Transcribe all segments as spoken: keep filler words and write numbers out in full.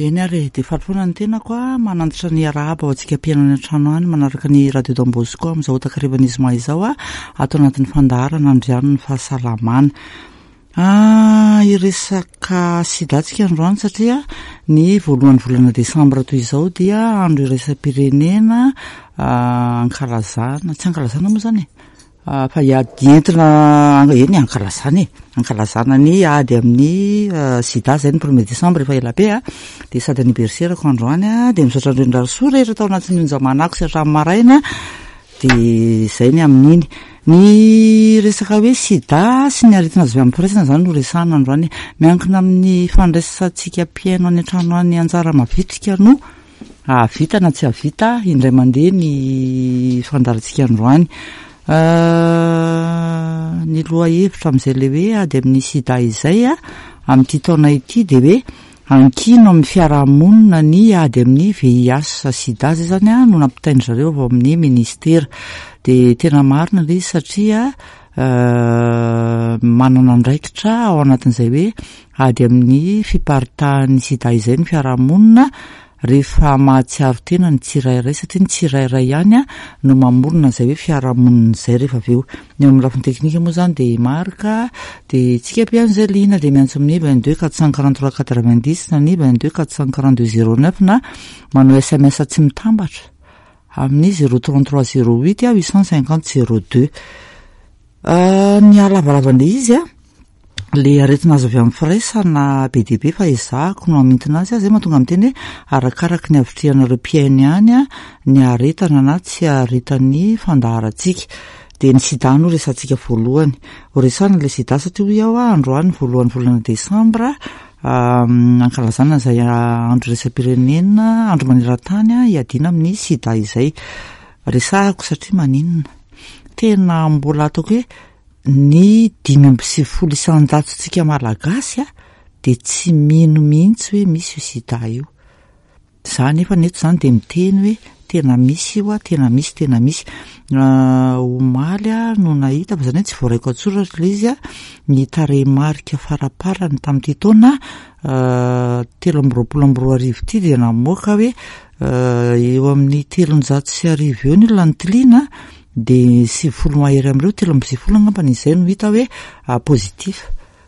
Eny ary e, dia faly foana ny tenako a, manantitra ny arahaba ho antsika mpihaino any an-trano any manaraka ny Radio Don Bosco amin'izao takarivan'ny zoma izao a, ato anatin'ny fandaharana Andriano ny fahasalamana. Ah, hiresaka sida tsika androany satria ny voalohan'ny volana desambra toy izao dia andro iraisam-pirenena ankalazana, tsy ankalazana moa zany e, fa hiady entina eny ankalazana e, ankalazana ny ady amin'ny sida zay ny premier décembre efa ela be a, dia sady anniversaire-ko androany a, dia misaotra an'ireo soa rehetra tao anatin'ny onjamanako sy hatramin'ny maraina, dia zay ny amin'iny. Ny resaka hoe sida sy ny aretina azo avy amin'ny firaisana zany no resahana androany. Miankina amin'ny fandraisantsika mpihaino any an-trano any anjara mavitrika no hahavita na tsy hahavita indray mandeha ny fandaharantsika androany. Ny lohahevitra amin'izay le hoe ady amin'ny sida izay a, amin'ity taona ity dia hoe ankino amin'ny fiarahamonina ny ady amin'ny V I H sida zay zany a no nampitainy zareo avy ao amin'ny ministera. Dia tena marina ilay izy satria manana andraikitra ao anatin'izay hoe ady amin'ny fiparitahan'ny sida izay ny fiarahamonina rehefa mahatsiaro tena ny tsirairay, satria ny tsirairay ihany a no mamorona izay hoe fiarahamonina izay rehefa avy eo. Ny eo amin'ny lafiny teknika moa zany dia Marka, dia tsika mpihaino izay liana dia miantso amin'ny vingt-deux quatre cent quarante-trois quatre-vingt-dix na ny vingt-deux quatre cent quarante-deux zéro neuf, na manao S M S tsy mitambatra amin'ny zéro trente-trois zéro huit huit cent cinquante zéro deux. Ny halavalavana izy a, le aretina azo avy amin'ny firaisana be dia be fa ezahako no hamintina azy a, zay mahatonga miteny hoe arakaraky ny havitrihanareo mpihaino ihany a ny aretana na tsy aretan'ny fandaharantsika. Dia ny sida no resantsika voalohany. Ho resahana ilay sida satria hoy aho a, androany voalohan'ny volana desambra ankalazana izay andro iraisam-pirenena, andro maneran-tany a hiadiana amin'ny sida izay. Resahako satria maninona? Tena mbola ataoko hoe ny dimy amby sivifolo isan-jatontsika malagasy a dia tsy mino mihitsy hoe misy io sida io. Za nefa neto zany dia miteny hoe tena misy io a, tena misy, tena misy. Omaly a no nahita fa zany hoe tsy voaraiko an-tsoratra ilay izy a, ny tarehimarika faraparany tamin'ity taona telo amby roapolo amby roa arivo ity dia namoaka hoe eo amin'ny telonjato sy arivo eo ny olona nitiliana, dia sivifolo mahery amin'ireo, telo amby sivifolo angambany izay no hita hoe positif.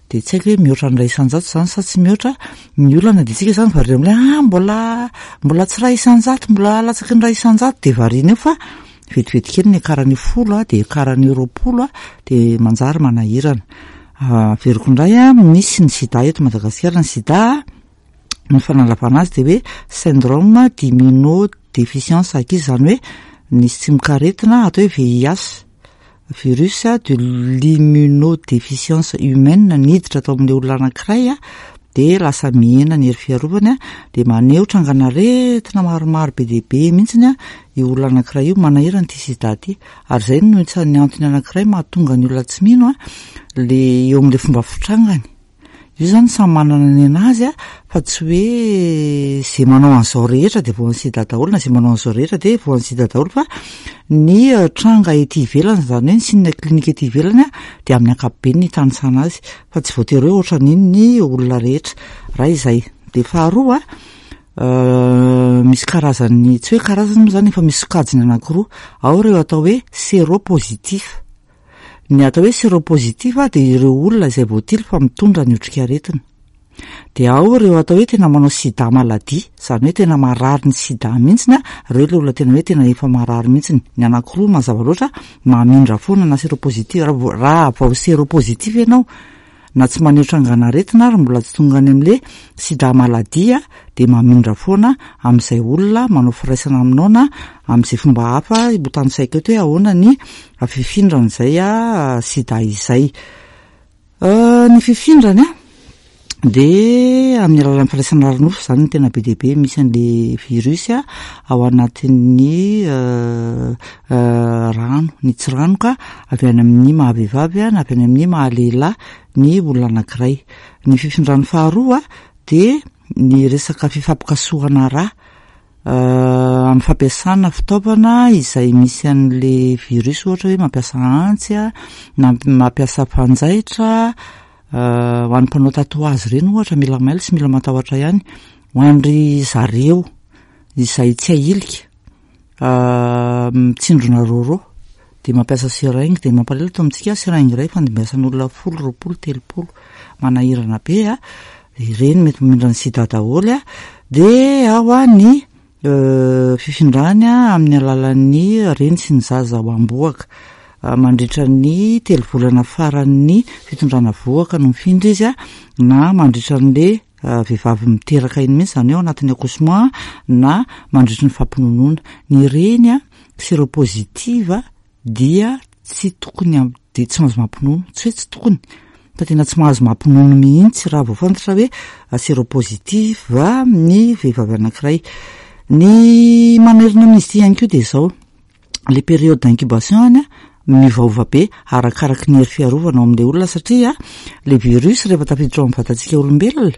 Dia tsy haiko hoe mihoatra ny iray isan-jato zany sa tsy mihoatra. Ny olana dia tsika zany variana amin'ilay ah mbola mbola tsy iray isan-jato, mbola latsaky ny iray isan-jato, dia variana eo fa vetivety kely ny akaran'io folo a, dia akaran'io roapolo a, dia manjary manahirana. Averiko indray a, misy ny sida eto Madagasikara. Ny sida, ny fanalavana azy dia hoe syndrome d'immunodéficience acquise, zany hoe nisy tsimokaretina atao hoe V I H, virus de l'immunodéficience humaine, niditra atao amin'ilay olona anankiray a, dia lasa mihena ny hery fiarovany a, dia maneho trangan'aretina maromaro be dia be mihitsiny a io olona anankiray io. Manahirana ity sida ity ary izay no isan'ny antony anankiray mahatonga ny olona tsy mino a, le eo amin'ilay fomba fitrangany io zany. Samy manana ny anazy a, fa tsy hoe zay manao an'izao rehetra de voan'ny sida daholo na zay manao an'izao rehetra de voan'ny sida daholo, fa ny tranga ety ivelany, zany hoe ny signe clinique ety ivelany a, de amin'ny ankapobeny ny tanisana azy, fa tsy voatery hoe ohatran'iny ny olona rehetra. Raha izay de faharoa a, misy karazany, tsy hoe karazany moa zany, efa misy sokajiny anankiroa ao ireo atao hoe séropositif. Ny atao hoe séropositif a de ireo olona izay voatily fa mitondra ny otrikaretina, de ao ireo atao hoe tena manao sida maladie, zany hoe tena marary ny sida mihitsiny a, reo le olona tena hoe tena efa marary mihitsiny. Ny anankiroa mazava loatra mamindra foana na séropositif. Raha vao séropositif ianao na tsy maneho trangan'aretina ary mbola tsy tonga any am'le sida maladie a, de mamindra foana amin'izay olona manao firaisana aminao na amin'izay fomba hafa ho tanisaiko eto hoe ahoana ny fifindran'izay a sida izay. Ny fifindrany a de amin'ny alalan'ny firaisana ara-nofo zany no tena be dia be misy an'le virus a ao anatin'ny rano, ny tsiranoka avy any amin'ny mahavehivavy a na avy any amin'ny mahalehilahy ny olona anankiray. Ny fifindrany faharoa a de ny resaka fifampikasohana rà amin'ny fampiasana fitaovana izay misy an'le virus, ohatra hoe mampiasa antsy a na mampiasa fanjaitra. Ho an'ny mpanao tatouage ireny ohatra, mila mailo sy mila matahotra ihany. Ho an-dry zareo izay tsy ahilika, mitsindrona rôrô de mampiasa seringue, de mampalahelo eto amintsika seringue iray fandimbiasan'olona folo, roapolo, telopolo, manahirana be a. Ireny mety mamindra ny sida daholo a. De ao a ny fifindrany a amin'ny alalan'ny reny sy ny zaza ao am-bohoka. Mandritra ny telo volana faran'ny fitondrana vohoka no mifindra izy a, na mandritra an'le vehivavy miteraka iny mihitsy, zany hoe ao anatin'ny accouchement, na mandritra ny fampinonoana. Ny reny a séropositive dia tsy tokony am-, de tsy mahazo mampinono, tsy hoe tsy tokony fa tena tsy mahazo mampinono mihitsy raha vao fantatra hoe séropositive ny vehivavy anankiray. Ny manerina amin'izy ity ihany koa de zao, le période d'incubation any a miovaova be arakaraky ny hery fiarovana ao amin'le olona, satria le virus rehefa tafiditra ao amin'ny vatantsika olombelona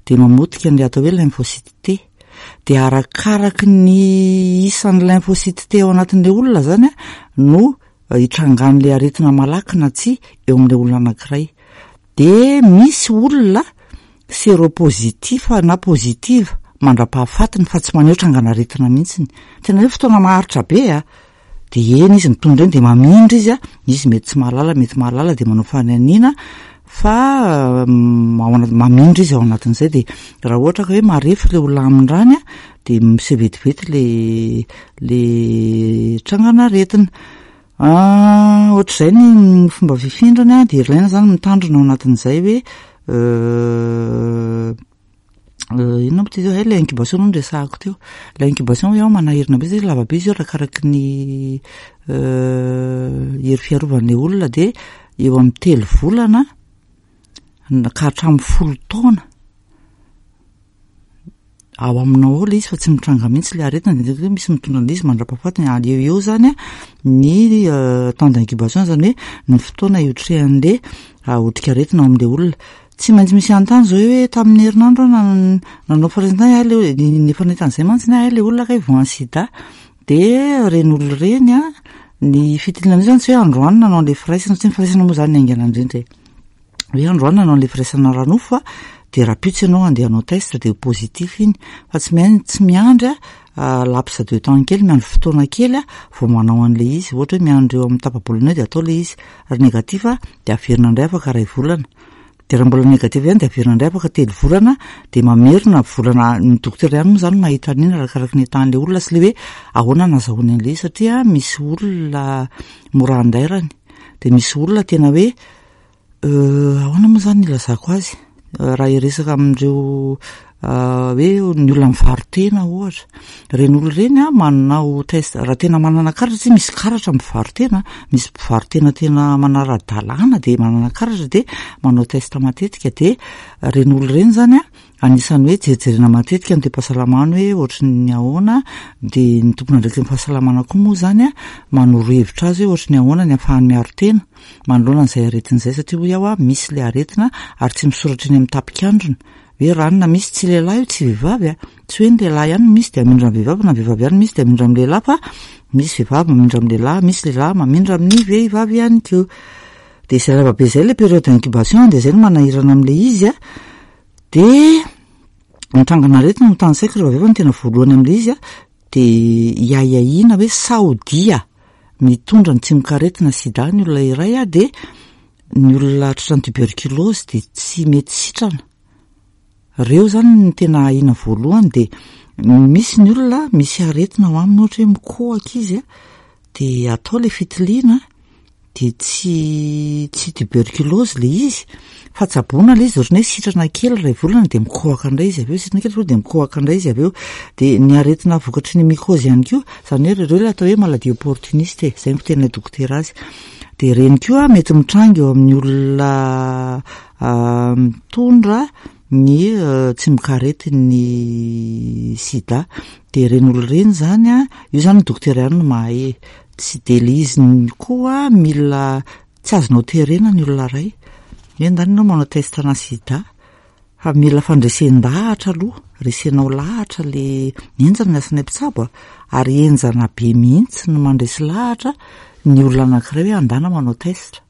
de mamotika an'le atao hoe lymphocyte T. De arakaraky ny isan'ny lymphocyte T ao anatin'le olona zany a no hitrangan'le aretina malaky na tsy eo amin'le olona anankiray. De misy olona séropositif na positive mandra-pahafatiny fa tsy maneho trangan'aretina mihitsiny. Tena hoe fotoana maharitra be a. De eny izy mitondra eny de mamindra izy a, izy mety tsy mahalala, mety mahalala, de manao fananiana fa ao anaty mamindra izy ao anatin'izay. De raha ohatra ka hoe marefo le olona amindrany a, de miseho vetivety le le trangan'aretina. Ohatr'izay ny fomba fifindrany a, de ilaina zany mitandrina ao anatin'izay hoe inona moa ty zao, hay le incubation aloha no resahako teo. Le incubation hoe ao manahirana be satria lava be izy io arakaraky ny hery fiarovan'le olona, de eo amin'ny telo volana ka hatramin'ny folo taona ao aminao ao le izy fa tsy mitranga mihitsy le aretina. De hoe misy mitondra an'le izy mandra-pahafatiny ary eo eo zany a ny temps d'incubation, zany hoe ny fotoana hiotrehan'le otrikaretina ao amin'le olona. Tsy maintsy misy anontany zao hoe tamin'ny herinandro aho nanao firaisana tany, le ny efa nahita an'izay mantsy ny le olona kay voan'ny sida. De reny olona ireny a, ny fitiliana an'io zany tsy hoe androany nanao an'le firaisana, satria ny firaisana moa zany haingana indrindra e. Hoe androany nanao an'le firaisana ara-nofo a, de rahampitso ianao andeha hanao test de ho positif iny, fa tsy maintsy miandry a laps de temps kely, miandry fotoana kely a vao manao an'le izy. Ohatra hoe miandry eo amin'ny tapa-bolana eo de atao le izy, raha négatif a de averina indray afaka iray volana, de raha mbola négatif ihany de averina indray afaka telo volana, de mamerina volana. Ny dokotera ihany moa zany mahita an'iny arakaraky ny ahitan'le olona sy le hoe ahoana nahazahoany an'le izy, satria misy olona mora andairany, de misy olona tena hoe ahoana moa zany ilazako azy, raha hiresaka amin'ireo hoe ny olona mivaro-tena ohatra, ireny olona ireny a manao test raha tena manana karatra, satria misy karatra mivaro-tena, misy mpivaro-tena tena manara-dalàna de manana karatra de manao test matetika. De ireny olona ireny zany a anisan'ny hoe jerijerena matetika ny toe-pahasalamany hoe ohatry ny ahoana, de ny tompon'andraikitry ny fahasalamana koa moa zany a manoro hevitra azy hoe ohatry ny ahoana ny ahafahany miaro tena manoloana an'izay aretina izay, satria hoy aho a misy le aretina ary tsy misoratra eny amin'ny tapikandrina hoe ranona misy, tsy lehilahy io tsy vehivavy a, tsy hoe ny lehilahy ihany no misy de hamindra amin'ny vehivavy na vehivavy ihany misy de hamindra amin'ny lehilahy, fa misy vehivavy mamindra amin'ny lehilahy, misy lehilahy mamindra amin'ny vehivavy ihany koa. De izay lava be izay le période d'incubation, de izay no manahirana amin'le izy a. De ny trangan'aretina no tanisaiko rehefa avy eo fa ny tena voalohany amin'le izy a, de iahiahiana hoe sao dia mitondra ny tsimokaretina sida ny olona iray a, de ny olona tratran'ny tuberculose de tsy mety sitrana. Reo zany ny tena ahiana voalohany. De misy ny olona misy aretina ao aminy, ohatra hoe mikohaka izy a, de atao le fitiliana de tsy tsy tuberculose le izy fa tsaboina le izy, ohatrany hoe sitrana kely iray volana de mikohaka indray izy avy eo, sitrana kely de mikohaka indray izy avy eo. De ny aretina vokatry ny mycose ihany koa, zany hoe reo le atao hoe maladie opportuniste e, zay no fiteninay dokotera azy. De ireny koa mety mitranga eo amin'ny olona mitondra ny tsimokaretin'ny sida. De ireny olona ireny zany a, io zany ny dokotera ihany no mahay, tsy de le izy koa mila tsy azonao terena ny olona iray hoe ndany ianao manao test ana sida, fa mila fandresen-dahatra aloha, resenao lahatra le henjana ny asanay mpitsabo a, ary henjana be mihitsy no mandresy lahatra ny olona anankiray hoe andana manao test.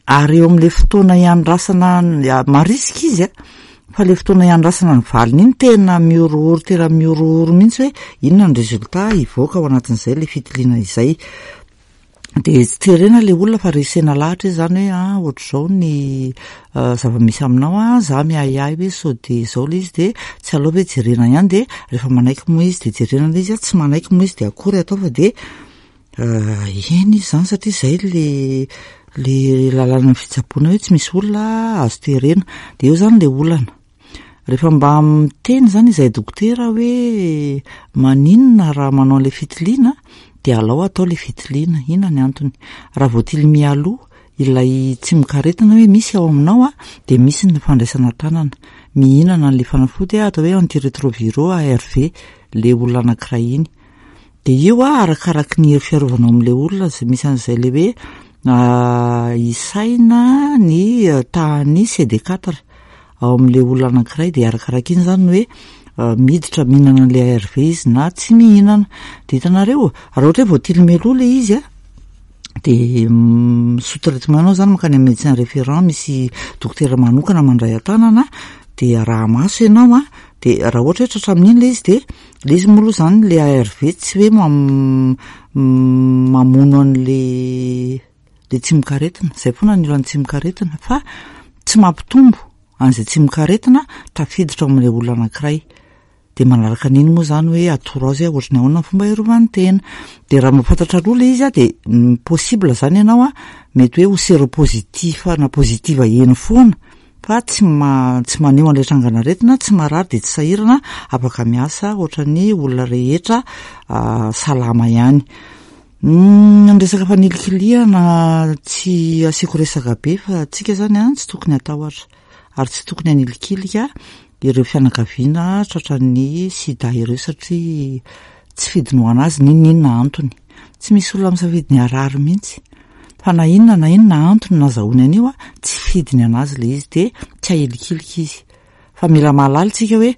Ary eo amin'le fotoana iandrasana marisika izy a, Fa le fotoana iandrasana ny valiny iny tena mihorohoro, tena mihorohoro mihitsy hoe inona ny résultat hivoaka ao anatin'izay le fitiliana izay. De tsy terena le olona fa resena lahatra izy zany hoe ah ohatr'izao ny zava-misy aminao, a za miahiahy hoe sao de zao le izy, de tsy aleo ve jerena ihany? De rehefa manaiky moa izy de jerena le izy, a tsy manaiky moa izy de akory atao fa de eny izy zany, satria zay le le lalàna ny fitsaboana hoe tsy misy olona azo terena. De eo zany le olana rehefa mba miteny zany izahay dokotera hoe maninona raha manao an'le fitiliana, de alao atao le fitiliana, inona ny antony? Raha voatily mialoha ilay tsimokaretina hoe misy ao aminao, a de misy ny fandraisana tanana mihinana an'le fanafody atao hoe antirétroviraux, A R V, le olona anankiray iny. De io a arakaraky ny hery fiarovana ao amin'le olona zay misy an'izay le hoe isaina ny tahan'ny C D quatre ao amin'le olona anankiray, de arakaraka iny zany hoe miditra mihinana an'le A R V izy na tsy mihinana. De hitanareo, raha ohatra hoe voatily mialoha le izy, a de sous traitement anao zany mankany amin'ny médecin référent, misy dokotera manokana mandray an-tanana, de araha maso ianao, a de raha ohatra hoe tratra amin'iny le izy, de le izy moa aloha zany le A R V tsy hoe mamono an'le le tsimokaretina zay foana ny olan'ny tsimokaretina, fa tsy mampitombo an'izay tsimokaretina tafiditra ao amin'le olona anankiray. De manaraka an'iny moa zany hoe atoro azy hoe ohatry ny ahoana ny fomba hiarovany tena. De raha mahafantatra aloha le izy, a de possible zany ianao, a mety hoe ho séropositif na positive eny foana fa tsy ma- tsy maneho an'ilay trangan'aretina, tsy marary, de tsy sahirana, afaka miasa ohatran'ny olona rehetra salama ihany. Ny resaka fanilikilihana tsy asiako resaka be, fa tsika zany a tsy tokony hatahotra ary tsy tokony hanilikilika ireo fianakaviana tratran'ny sida ireo, satria tsy fidiny ho anazy n'inon'inona antony. Tsy misy olona misafidy ny harary mihitsy, fa na inona na inona antony nahazahoany an'io, a tsy fidiny anazy le izy, de tsy ahilikilika izy. Fa mila mahalala tsika hoe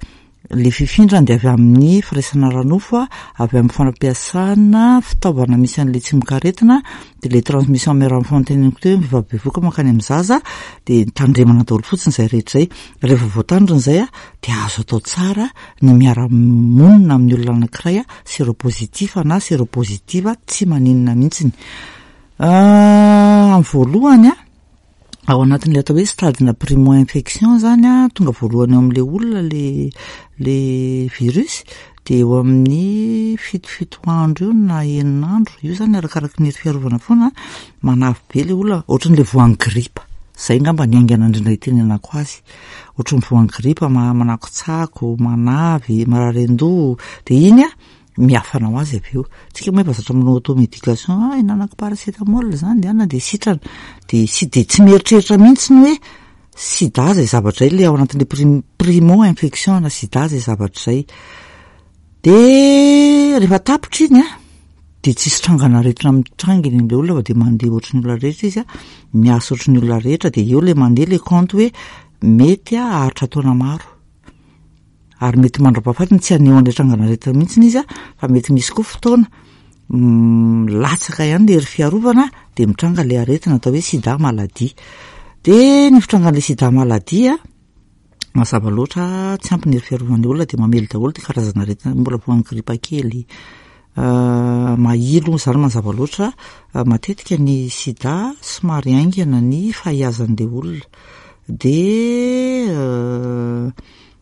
le fifindrany de avy amin'ny firaisana ara-nofo, a avy amin'ny fampiasana fitaovana misy an'le tsimokaretina, de le transmission mère enfant teneniko teo hoe vehivavy bevoka mankany amin'ny zaza. De tandremana daholo fotsiny zay rehetra zay. Rehefa voatandrina zay, a de azo atao tsara ny miara-monina amin'ny olona anankiray a séropositif na séropositive, tsy maninona mihitsiny. Amin'ny voalohany, a ao anatin'le atao hoe stade na primo infection zany, a tonga voalohany eo amin'le olona le le virus, de eo amin'ny fitofito andro io na enina andro io zany, arakaraky ny hery fiarovana foana. Manavy be le olona, ohatran'le voan'ny gripa zay ngamba ny aingana indrindra itenenako azy, ohatran'ny voan'ny gripa, manakotsako, manavy, marary an-doha, de iny a miafana ho azy avy eo. Tsika moa efa zatra manao automédication, ah ihinanako paracétamol zany de ana de sitrana, de sy de tsy mieritreritra mihitsy ny hoe sida zay zavatra zay, le ao anatin'le prim- primo infection na sida zay zavatra zay. De rehefa tapitra iny, a de tsisy trangan'aretina mitranga eny am'le olona, fa de mandeha ohatry ny olona rehetra izy, a miasa ohatry ny olona rehetra. De eo le mandeha le compte hoe mety a haharitra taona maro ary mety mandra-pahafatiny tsy haneho an'ilay trangan'aretina mihitsy izy, a fa mety misy koa fotoana latsaka ihany le hery fiarovana, de mitranga le aretina atao hoe sida maladie. De ny fitrangan'le sida maladie, a mazava loatra tsy ampy ny hery fiarovan'le olona, de mamely daholo ty karazana aretina mbola voan'ny gripa kely, mahilo zany. Mazava loatra, matetika ny sida somary haingana ny fahiazan'le olona, de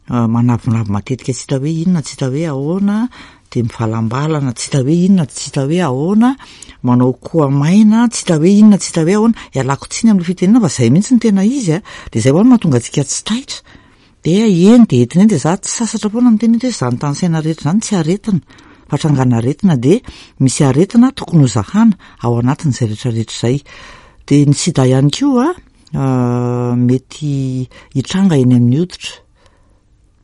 manavinavy matetika, tsy hita hoe inona, tsy hita hoe ahoana, de mivalambalana, tsy hita hoe inona, tsy hita hoe ahoana, manao koa maina, tsy hita hoe inona, tsy hita hoe ahoana. Ialako tsiny amin'le fitenena fa zay mihitsy ny tena izy, a de zay ho any mahatonga antsika tsy taitra, de eny de entina eny. De za tsy sasatra foana miteny hoe zany tany saina rehetra zany tsy aretina fa trangana aretina, de misy aretina tokony ho zahana ao anatin'izay rehetrarehetra zay. De ny sida ihany koa a mety hitranga eny amin'ny hoditra,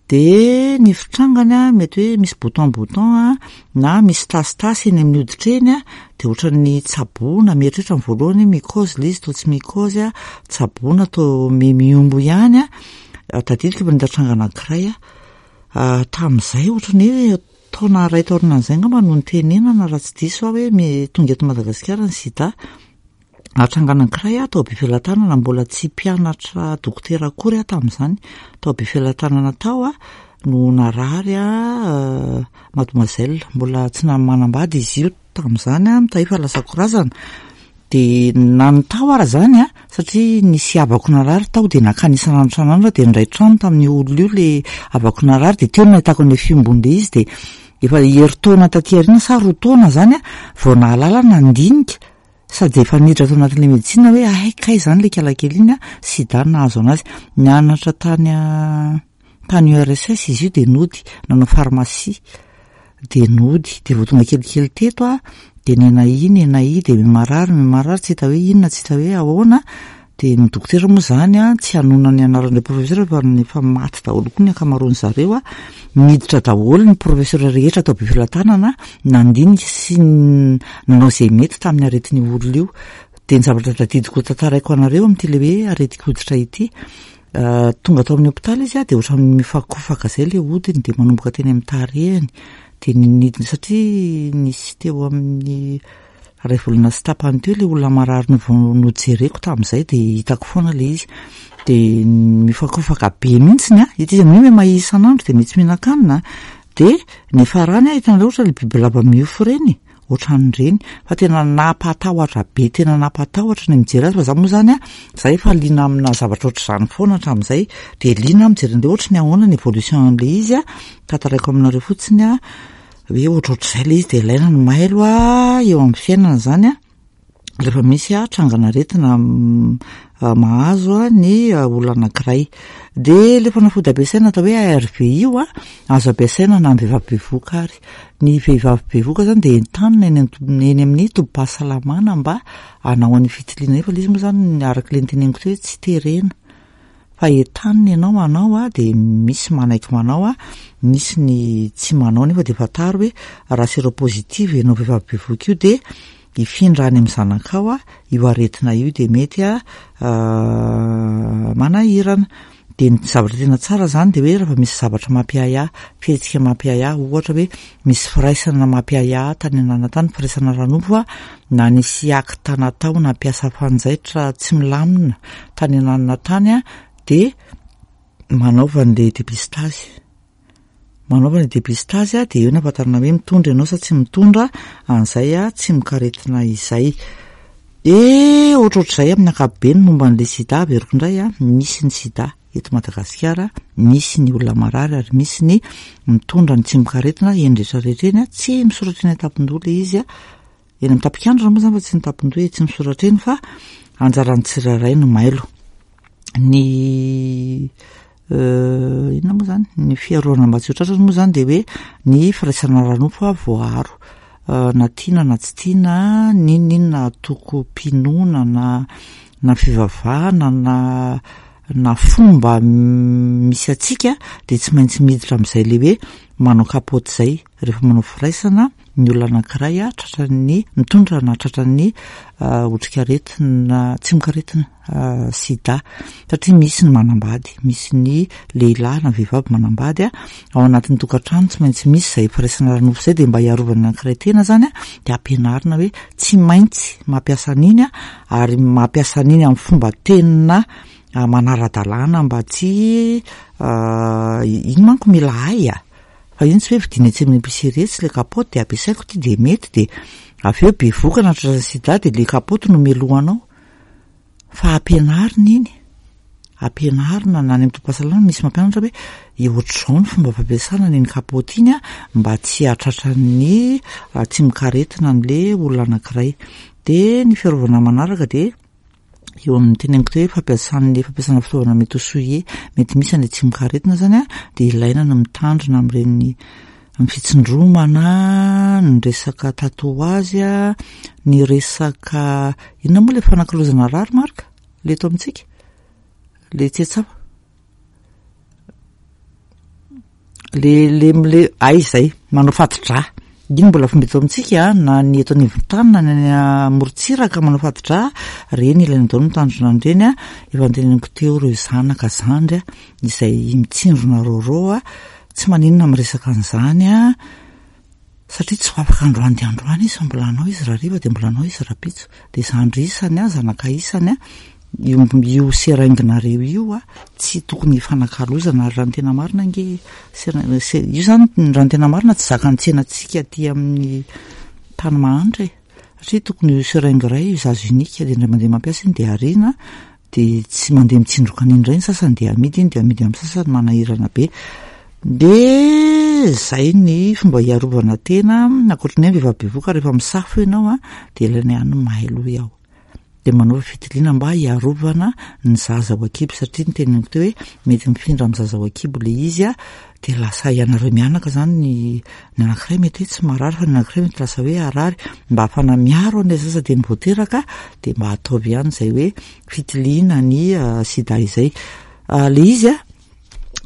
de ny fitrangany a mety hoe misy bouton bouton a na misy tasitasy eny amin'ny hoditra eny, a de ohatran'ny tsaboina, mieritreritra ny voalohany hoe mycose le izy, to tsy mycose, a tsaboina to mihombo ihany. A tadidiko efa nahita tranga anankiray a tamin'izay, ohatran'ny hoe taona ray taorinan'izay angamba no nitenenana, raha tsy diso aho, hoe me tonga eto Madagasikara ny sida. Tranga anankiray aho tao Befelatanana, mbola tsy mpianatra dokotera akory aho tamin'izany. Tao Befelatanana tao aho no narary a mademoiselle, mbola tsy manambady izy io tamin'izany a, mitahy fa lasa korazana. De na ny tao ara zany a, satria nisy havako narary tao, de nankany isan'andro isan'andro, de nindray trano tamin'io olona io le havako narary, de teo no nahitako an'le fiombon'le izy. De efa herintaona taty aoriana sa roa taona zany a vao nahalala nandinika, sady efa niditra tao anatin'le médecine hoe ay kay zany le kalakely iny a sida nahazo anazy. Nianatra tany tany U R S S izy io, de nody nanao pharmacie, de nody, de vao tonga kelikely teto a, de nenahia nenahia, de marary marary, tsy hita hoe inona, tsy hita hoe ahoana. De ny dokotera moa zany a, tsy hanona ny anaran'ireo professeur fa efa maty daholo koa ny ankamaroany zareo a, miditra daholo ny professeur rehetra atao Befelatanana, nandinika sy nanao izay mety tamin'ny aretin'io olona io. De ny zavatra tadidiko tantaraiko anareo amin'ity le hoe aretin-koditra ity, tonga tao amin'ny hôpitaly izy a, de ohatran'ny mifakofaka zay le hodiny, de manomboka teny amin'ny tarehiny, de nidina, satria nisy teo amin'ny ray volana sy tapany teo le olona marary no vao nojereko tamin'izay, de hitako foana le izy, de mifakofaka be mihitsiny a, hita izy amin'io hoe mahia isan'andro, de mety mihinan-kanina, de ny farany a, hitanareo ohatra le bibilava miofo reny, ohatran'ireny, fa tena nampatahotra be, tena nampatahotra ny mijery azy. Fa za moa zany a, za efa liana amina zavatra ohatr'izany foana hatramin'izay, de liana mijery an'le ohatry ny ahoana ny évolution an'le izy a. Tantaraiko aminareo fotsiny a hoe ohatrohatr'izay le izy, de ilaina ny mailo a eo amin'ny fiainana zany a, rehefa misy a trangan'aretina mahazo a ny olona anankiray. De le fanafody ampiasaina atao hoe A R V io a, azo ampiasaina na ny vehivavy bevoka ary ny vehivavy bevoka zany de entanina eny eny amin'ny tobim-pahasalamana mba hanao an'io fitiliana io. Fa le izy moa zany, araka le niteneniko teo, hoe tsy terena fa entanina ianao manao a, de misy manaiky manao a, misy ny tsy manao, nefa de fantaro hoe raha séropositive ianao vehivavy bevoka io, de hifindra any amin'ny zanakao a io aretina io, de mety a manahirana. De ny zavatra tena tsara zany de hoe rehefa misy zavatra mampiahiahy, fihetsika mampiahiahy, ohatra hoe misy firaisana mampiahiahy tany anana tany, firaisana ara-nofo a, na nisy acte natao nampiasa fanjaitra tsy milamina tany ananina tany a, de manaova an'le dépistage, manaova le dépistage a, de eo ny ahafantarana hoe mitondra ianao sa tsy mitondra an'izay a tsimokaretina izay. De ohatrohatr'izay amin'ny ankapobeny momba an'le sida. Averiko indray a, misy ny sida eto Madagasikara, misy ny olona marary ary misy ny mitondra ny tsimokaretina eny rehetrarehetra eny a. Tsy misoratra eny an-tampon-doha le izy a, eny amin'ny tapikandrina moa zany fa tsy ny tampon-doha e, tsy misoratra eny, fa anjaran'ny tsirairay no mailo. Ny inona moa zany ny fiarovana mba tsy ho tratrany moa zany, de hoe ny firaisana ara-nofo a voaaro, na tiana na tsy tiana, n'inon'inona antokom-pinoana na na fivavahana na na fomba misy atsika, de tsy maintsy miditra amin'izay le hoe manao kapoty zay rehefa manao firaisana ny olona anankiray a tratran'ny mitondra na tratran'ny otrikaretina tsimokaretina sida, satria misy ny manambady, misy ny lehilahy na vehivavy manambady a, ao anatin'ny tokantrano tsy maintsy misy zay firaisana ara-nofo zay, de mba hiarovana anankiray tena zany a, de ampianarina hoe tsy maintsy mampiasa an'iny a, ary mampiasa an'iny amin'ny fomba tena manara-dalàna, mba tsy iny manko mila hay a, fa iny tsy hoe vidiana etsy amin'ny épicerie etsy le kapoty de ampiasaiko ty de mety, de avy eo bevoka na tratran'ny sida, de le kapoty no melohanao. Fa ampianarina iny, ampianarina na any amin'ny tobim-pahasalamana misy mampianatra hoe ohatr'izao ny fomba fampiasana an'iny kapoty iny a, mba tsy hahatratran'ny tsimokaretina an'le olona anankiray. De ny fiarovana manaraka de eo amin'ny teneniko teo hoe fampiasan'ny fampiasana fitaovana mety ho souillé, mety misy an'le tsimokaretina zany a, de ilaina ny mitandrina amin'ireny, amin'ny fitsindromana, ny resaka tatouage a, ny resaka inona moa le fanakalozana rary marika le eto amintsika le tsetsafa le le le ay zay manao fatidrà iny mbola fomba eto amintsika, na ny eto anivon-tany na ny any amorontsiraka manao fatidrà reny, ilaina daholo mitandrina an'ireny a. Efa noteneniko teo ireo zanaka zandry a izay mitsindrona rôrô a, tsy maninona miresaka an'izany a. Satria tsy ho afaka androany dia androany izy fa mbola hanao izy rahariva dia mbola hanao izy rahampitso. Dia zandry isany a, zanaka isany a, io io seringue-nareo io a, tsy tokony hifanakalozana. Ary raha ny tena marina ange seringue, io zany raha ny tena marina tsy zakan'ny tsenantsika aty amin'ny tany mahantra e. Satria tokony io seringue iray usage unique, dia indray mandeha mampiasa iny dia ariana, dia tsy mandeha mitsindroka an'iny indray ny sasany dia amidy iny, dia amidy amin'ny sasany, manahirana be. Dia zay ny fomba hiarovana tena. Ankoatry ny hoe vehivavy bevohoka, rehefa misafo ianao a, dia ilaina ihany ny mailo hoy aho. Dia manaova fitiliana mba hiarovana ny zaza ao an-kibo, satria ny teneniko teo hoe mety mifindra amin'ny zaza ao an-kibo ilay izy a, dia lasa ianareo mianaka zany, ny ny anankiray mety hoe tsy marary fa ny anankiray mety lasa hoe harary. Mba ahafahana miaro an'ilay zaza dia ny vao teraka, dia mba ataovy ihany izay hoe fitiliana ny sida izay. Ilay izy a,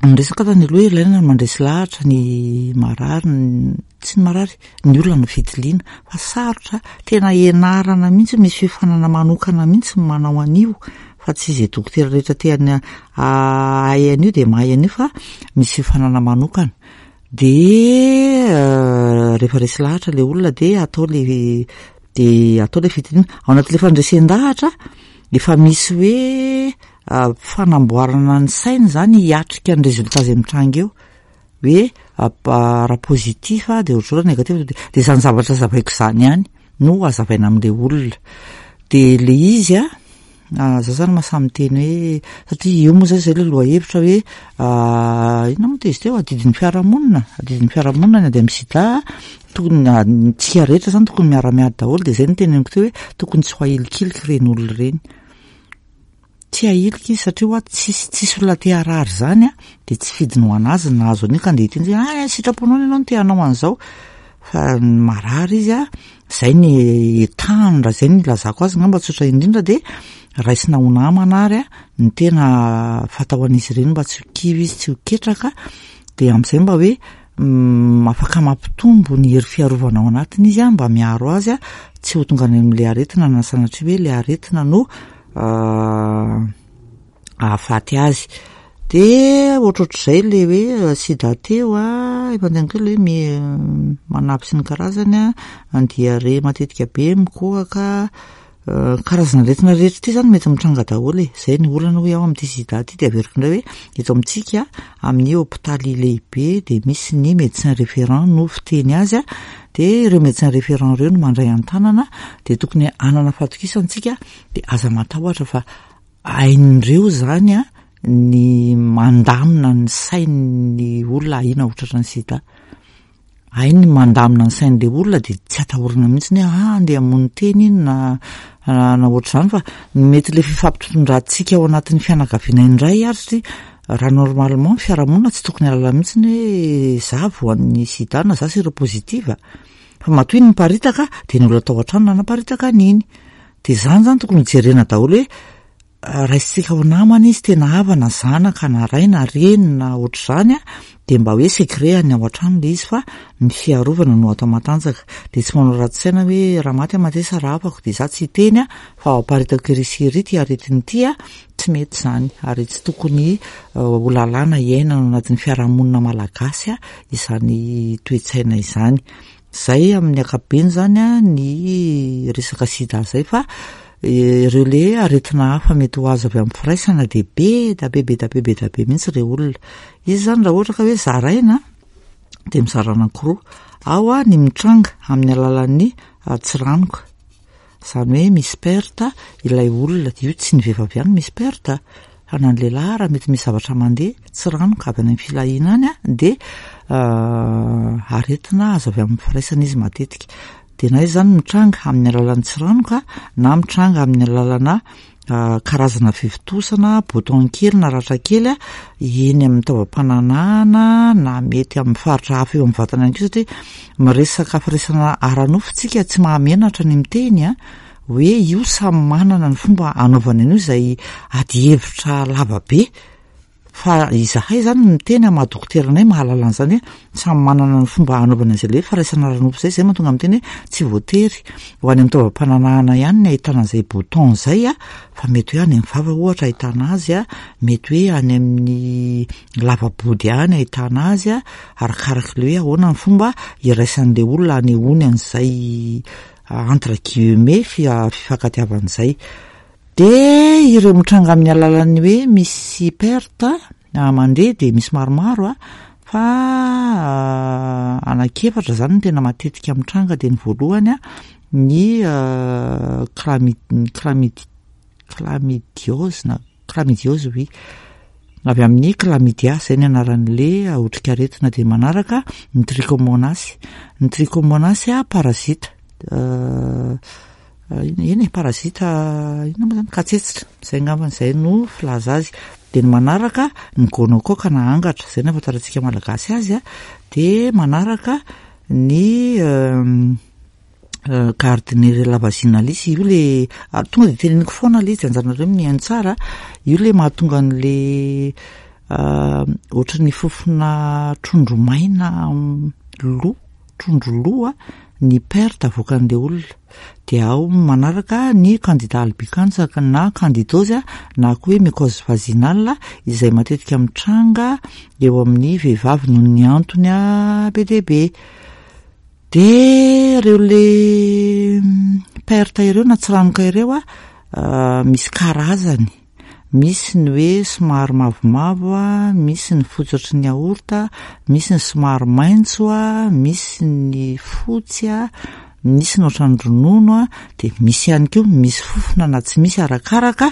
ny resaka tany aloha, ilaina ny mandresy lahatra ny marary, tsy ny marary, ny olona no fitiliana, fa sarotra, tena ianarana mihitsy, misy fiofanana manokana mihitsy ny manao an'io, fa tsy izay dokotera rehetra te hahay an'io dia mahay an'io, fa misy fiofanana manokana. Dia rehefa resy lahatra ilay olona dia atao le dia atao le fitiliana. Ao anatin'ilay fandresen-dahatra efa misy hoe fanamboarana ny saina zany hiatrika ny résultat izay mitranga eo, hoe raha positif dia ohatr'izao, raha négatif dia izany zavatra hazavaiko izany ihany no hazavaina amin'ilay olona. Dia le izy a, za zany mahasahy miteny hoe, satria io moa zay zay le lohahevitra hoe inona moa izy teo, adidin'ny fiarahamonina, adidin'ny fiarahamonina ny ady amin'ny sida, tokony tsika rehetra zany tokony miara-miady daholo. Dia zay no teneniko teo hoe tokony tsy ho ahilikiliky ireny olona ireny. Tsy ahilika izy satria hoa tsisy tsisy olona te harary zany a, dia tsy fidiny ho anazy ny nahazo an'io ka andeha hiteny hoe ah sitraponao ianao no te hanao an'izao, fa marary izy a, zay ny etahany. Raha zay ny ilazako azy angamba tsotra indrindra, dia raisina ho namana ary a ny tena fatao an'izy ireny mba tsy ho kivy izy, tsy ho ketraka, dia amin'izay mba hoe afaka mampitombo ny hery fiarovana ao anatiny izy a, mba miaro azy a tsy ho tonga any amin'ilay aretina, na sanatria hoe ilay aretina no ahafaty azy. Dia ohatrohatr'izay le hoe sida teo a, efa nteneniko teo le hoe manavy sy ny karazany a, ny diarrhée matetika be, mikohaka, karazana aretina rehetra ity zany mety mitranga daholo e. Zay ny olana hoy aho amin'ity sida ity. Dia averiko indray hoe eto amintsika amin'ny hôpitaly lehibe dia misy ny médecin référent no fiteny azy a, dia ireo médecin référent ireo no mandray an-tanana, dia tokony hanana fahatokisana isika, dia aza matahotra fa hain'ireo zany a ny mandamina ny sain'ny olona ahiana ho tratran'ny sida. Hainy ny mandamina ny sain'ilay olona, dia tsy atahorana mihitsy ny hoe ah andeha hamono tena iny na na ohatr'izany, fa mety le fifampitondrantsika ao anatin'ny fianakaviana indray ary, satria raha normalement fiarahamonina tsy tokony hahalala mihitsy ny hoe za voan'ny sida na za séropositive, fa matoa iny miparitaka dia ny olona tao an-trano nanaparitaka an'iny. Dia zany zany tokony hojerena daholo hoe raisitsika ho namana izy, tena havana, zanaka na ray na reny na ohatr'izany a, dia mba hoe secret ny ao an-trano le izy, fa ny fiarovana no atao matanjaka. Dia tsy manao ratsy saina hoe raha maty aho matesa raha havako dia za tsy hiteny a, fa aparitako ery sy ery ty aretina ity a, tsy mety izany, ary tsy tokony ho lalàna iainana ao anatin'ny fiarahamonina malagasy a izany toe-tsaina izany. Zay amin'ny ankapobeny zany a ny resaka sida zay, fa ireo le aretina hafa mety ho azo avy amin'ny firaisana dia be da be be da be be da be mihitsy ireo olona. Izy zany raha ohatra ka hoe zaraina dia mizara anankiroa. Ao a ny mitranga amin'ny alalan'ny tsiranoka, izany hoe misy perte ilay olona, io tsy ny vehivavy ihany misy perte fa na ny lehilahy raha mety misy zavatra mandeha tsiranoka avy any amin'ny filahiana any a, dia aretina azo avy amin'ny firaisana izy matetika. Dia na izy zany mitranga amin'ny alalan'ny tsiranoka na mitranga amin'ny alalana karazana fivontosana, bouton kely na ratra kely a eny amin'ny taovam-pananahana na mety amin'ny faritra hafa eo amin'ny vatana ihany koa, satria miresaka firaisana ara-nofo tsika tsy mahamenatra ny miteny a hoe io samy manana ny fomba anaovana an'io, izay ady hevitra lava be. Fa izahay zany miteny amin'ny maha dokotera anay, mahalala an'izany hoe samy manana ny fomba hanaovana an'izay le hoe firaisana ara-nofo zay. Zay mahatonga miteny hoe tsy voatery ho any amin'ny taovam-pananahana ihany ny ahitana an'izay bouton zay a, fa mety hoe any amin'ny vava ohatra ahitana azy a, mety hoe any amin'ny lava-body any ahitana azy a, arakaraka le hoe ahoana ny fomba iraisan'le olona anehoany an'izay entre guillemets fia- fifankatiavan'izay. De ireo mitranga amin'ny alalan'ny hoe misy perte mandeha de misy maromaro a, fa anankiefatra zany no tena matetika mitranga. De ny voalohany a, ny chlamy- chlamydi- chlamydiose na chlamydiose, oui, avy amin'ny chlamydia, zay ny anaran'le otrikaretina. De manaraka ny trichomonas, ny trichomonas a parasite, iny e parasite inona moa zany, katsetsitra zay angambany, zay no filaza azy. De ny manaraka ny gonocoque na angatra, zay no ahafantarantsika malagasy azy a. De manaraka ny Gardnerella vaginalis, io le tonga de teneniko foana le izy, de anjaranareo mihaino tsara. Io le mahatonga an'le ohatran'ny fofona trondro maina lo, trondro lo a, ny perte avoakan'le olona. De ao manaraka ny candida albicans na candidose na koa hoe mycose vaginale, izay matetika mitranga eo amin'ny vehivavy noho ny antony a be dia be. De reo le perte ireo na tsiranoka ireo a, misy karazany, misy ny hoe somary mavomavo a, misy ny fotsy ohatry ny yaourt, misy ny somary maitso a, misy ny fotsy a, misy ny ohatran'ny ronono a, de misy ihany koa misy fofona na tsy misy, arakaraka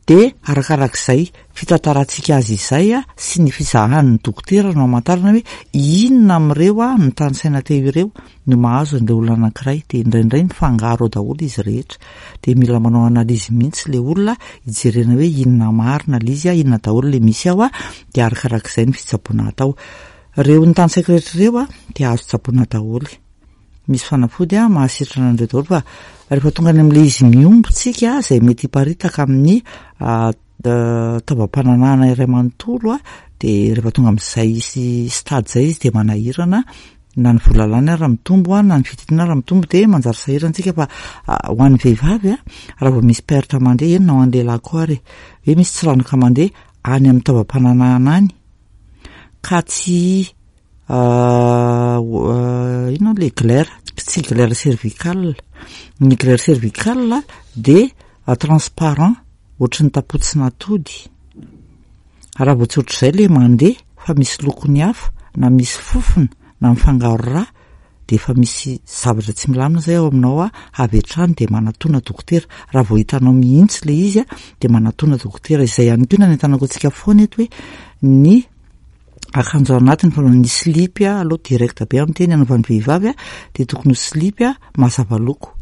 de arakarak'izay fitantarantsika azy izay a sy ny fizahan'ny dokotera no hamantarana hoe inona amin'ireo a notanisaina teo ireo no mahazo an'le olona anankiray. De indraindray mifangaro ao daholo izy rehetra, de mila manao analyse mihitsy le olona hijerena hoe inona marina le izy a, inona daholo le misy ao a, de arakarak'izay ny fitsaboana atao. Reo notanisaiko rehetra ireo a de azo tsaboina daholo, misy fanafody a mahasitrana an'ireo daholo. Fa rehefa tonga any amin'le izy mihombo tsika, zay mety hiparitaka amin'ny taovam-pananahana iray manontolo a, de rehefa tonga amin'izay sy stade zay izy de manahirana, na ny vola lany ara mitombo a, na ny fitiliana ara mitombo, de manjary sahirana tsika. Fa ho an'ny vehivavy a, raha vao misy perte mandeha, eny na ho an'ny lehilahy koa ary, hoe misy tsiranoka mandeha any amin'ny taovam-pananahana any ka tsy inona le glaire, tsy glaire cervicale, ny glaire cervicale de transparent ohatry ny tapotsin'atody. Raha vao tsy ohatr'izay le mandeha fa misy lokony hafa na misy fofona na mifangaro rà, de efa misy zavatra tsy milamina zay ao aminao a, avy hatrany de manatona dokotera. Raha vao hitanao mihitsy le izy a, de manatona dokotera. Izay ihany koa no anentanako antsika foana eto hoe ny akanjo anatiny fa ny slipy a, aloha direct be amin'ny teny anaovan'ny vehivavy a, de tokony ho slipy a mazava loko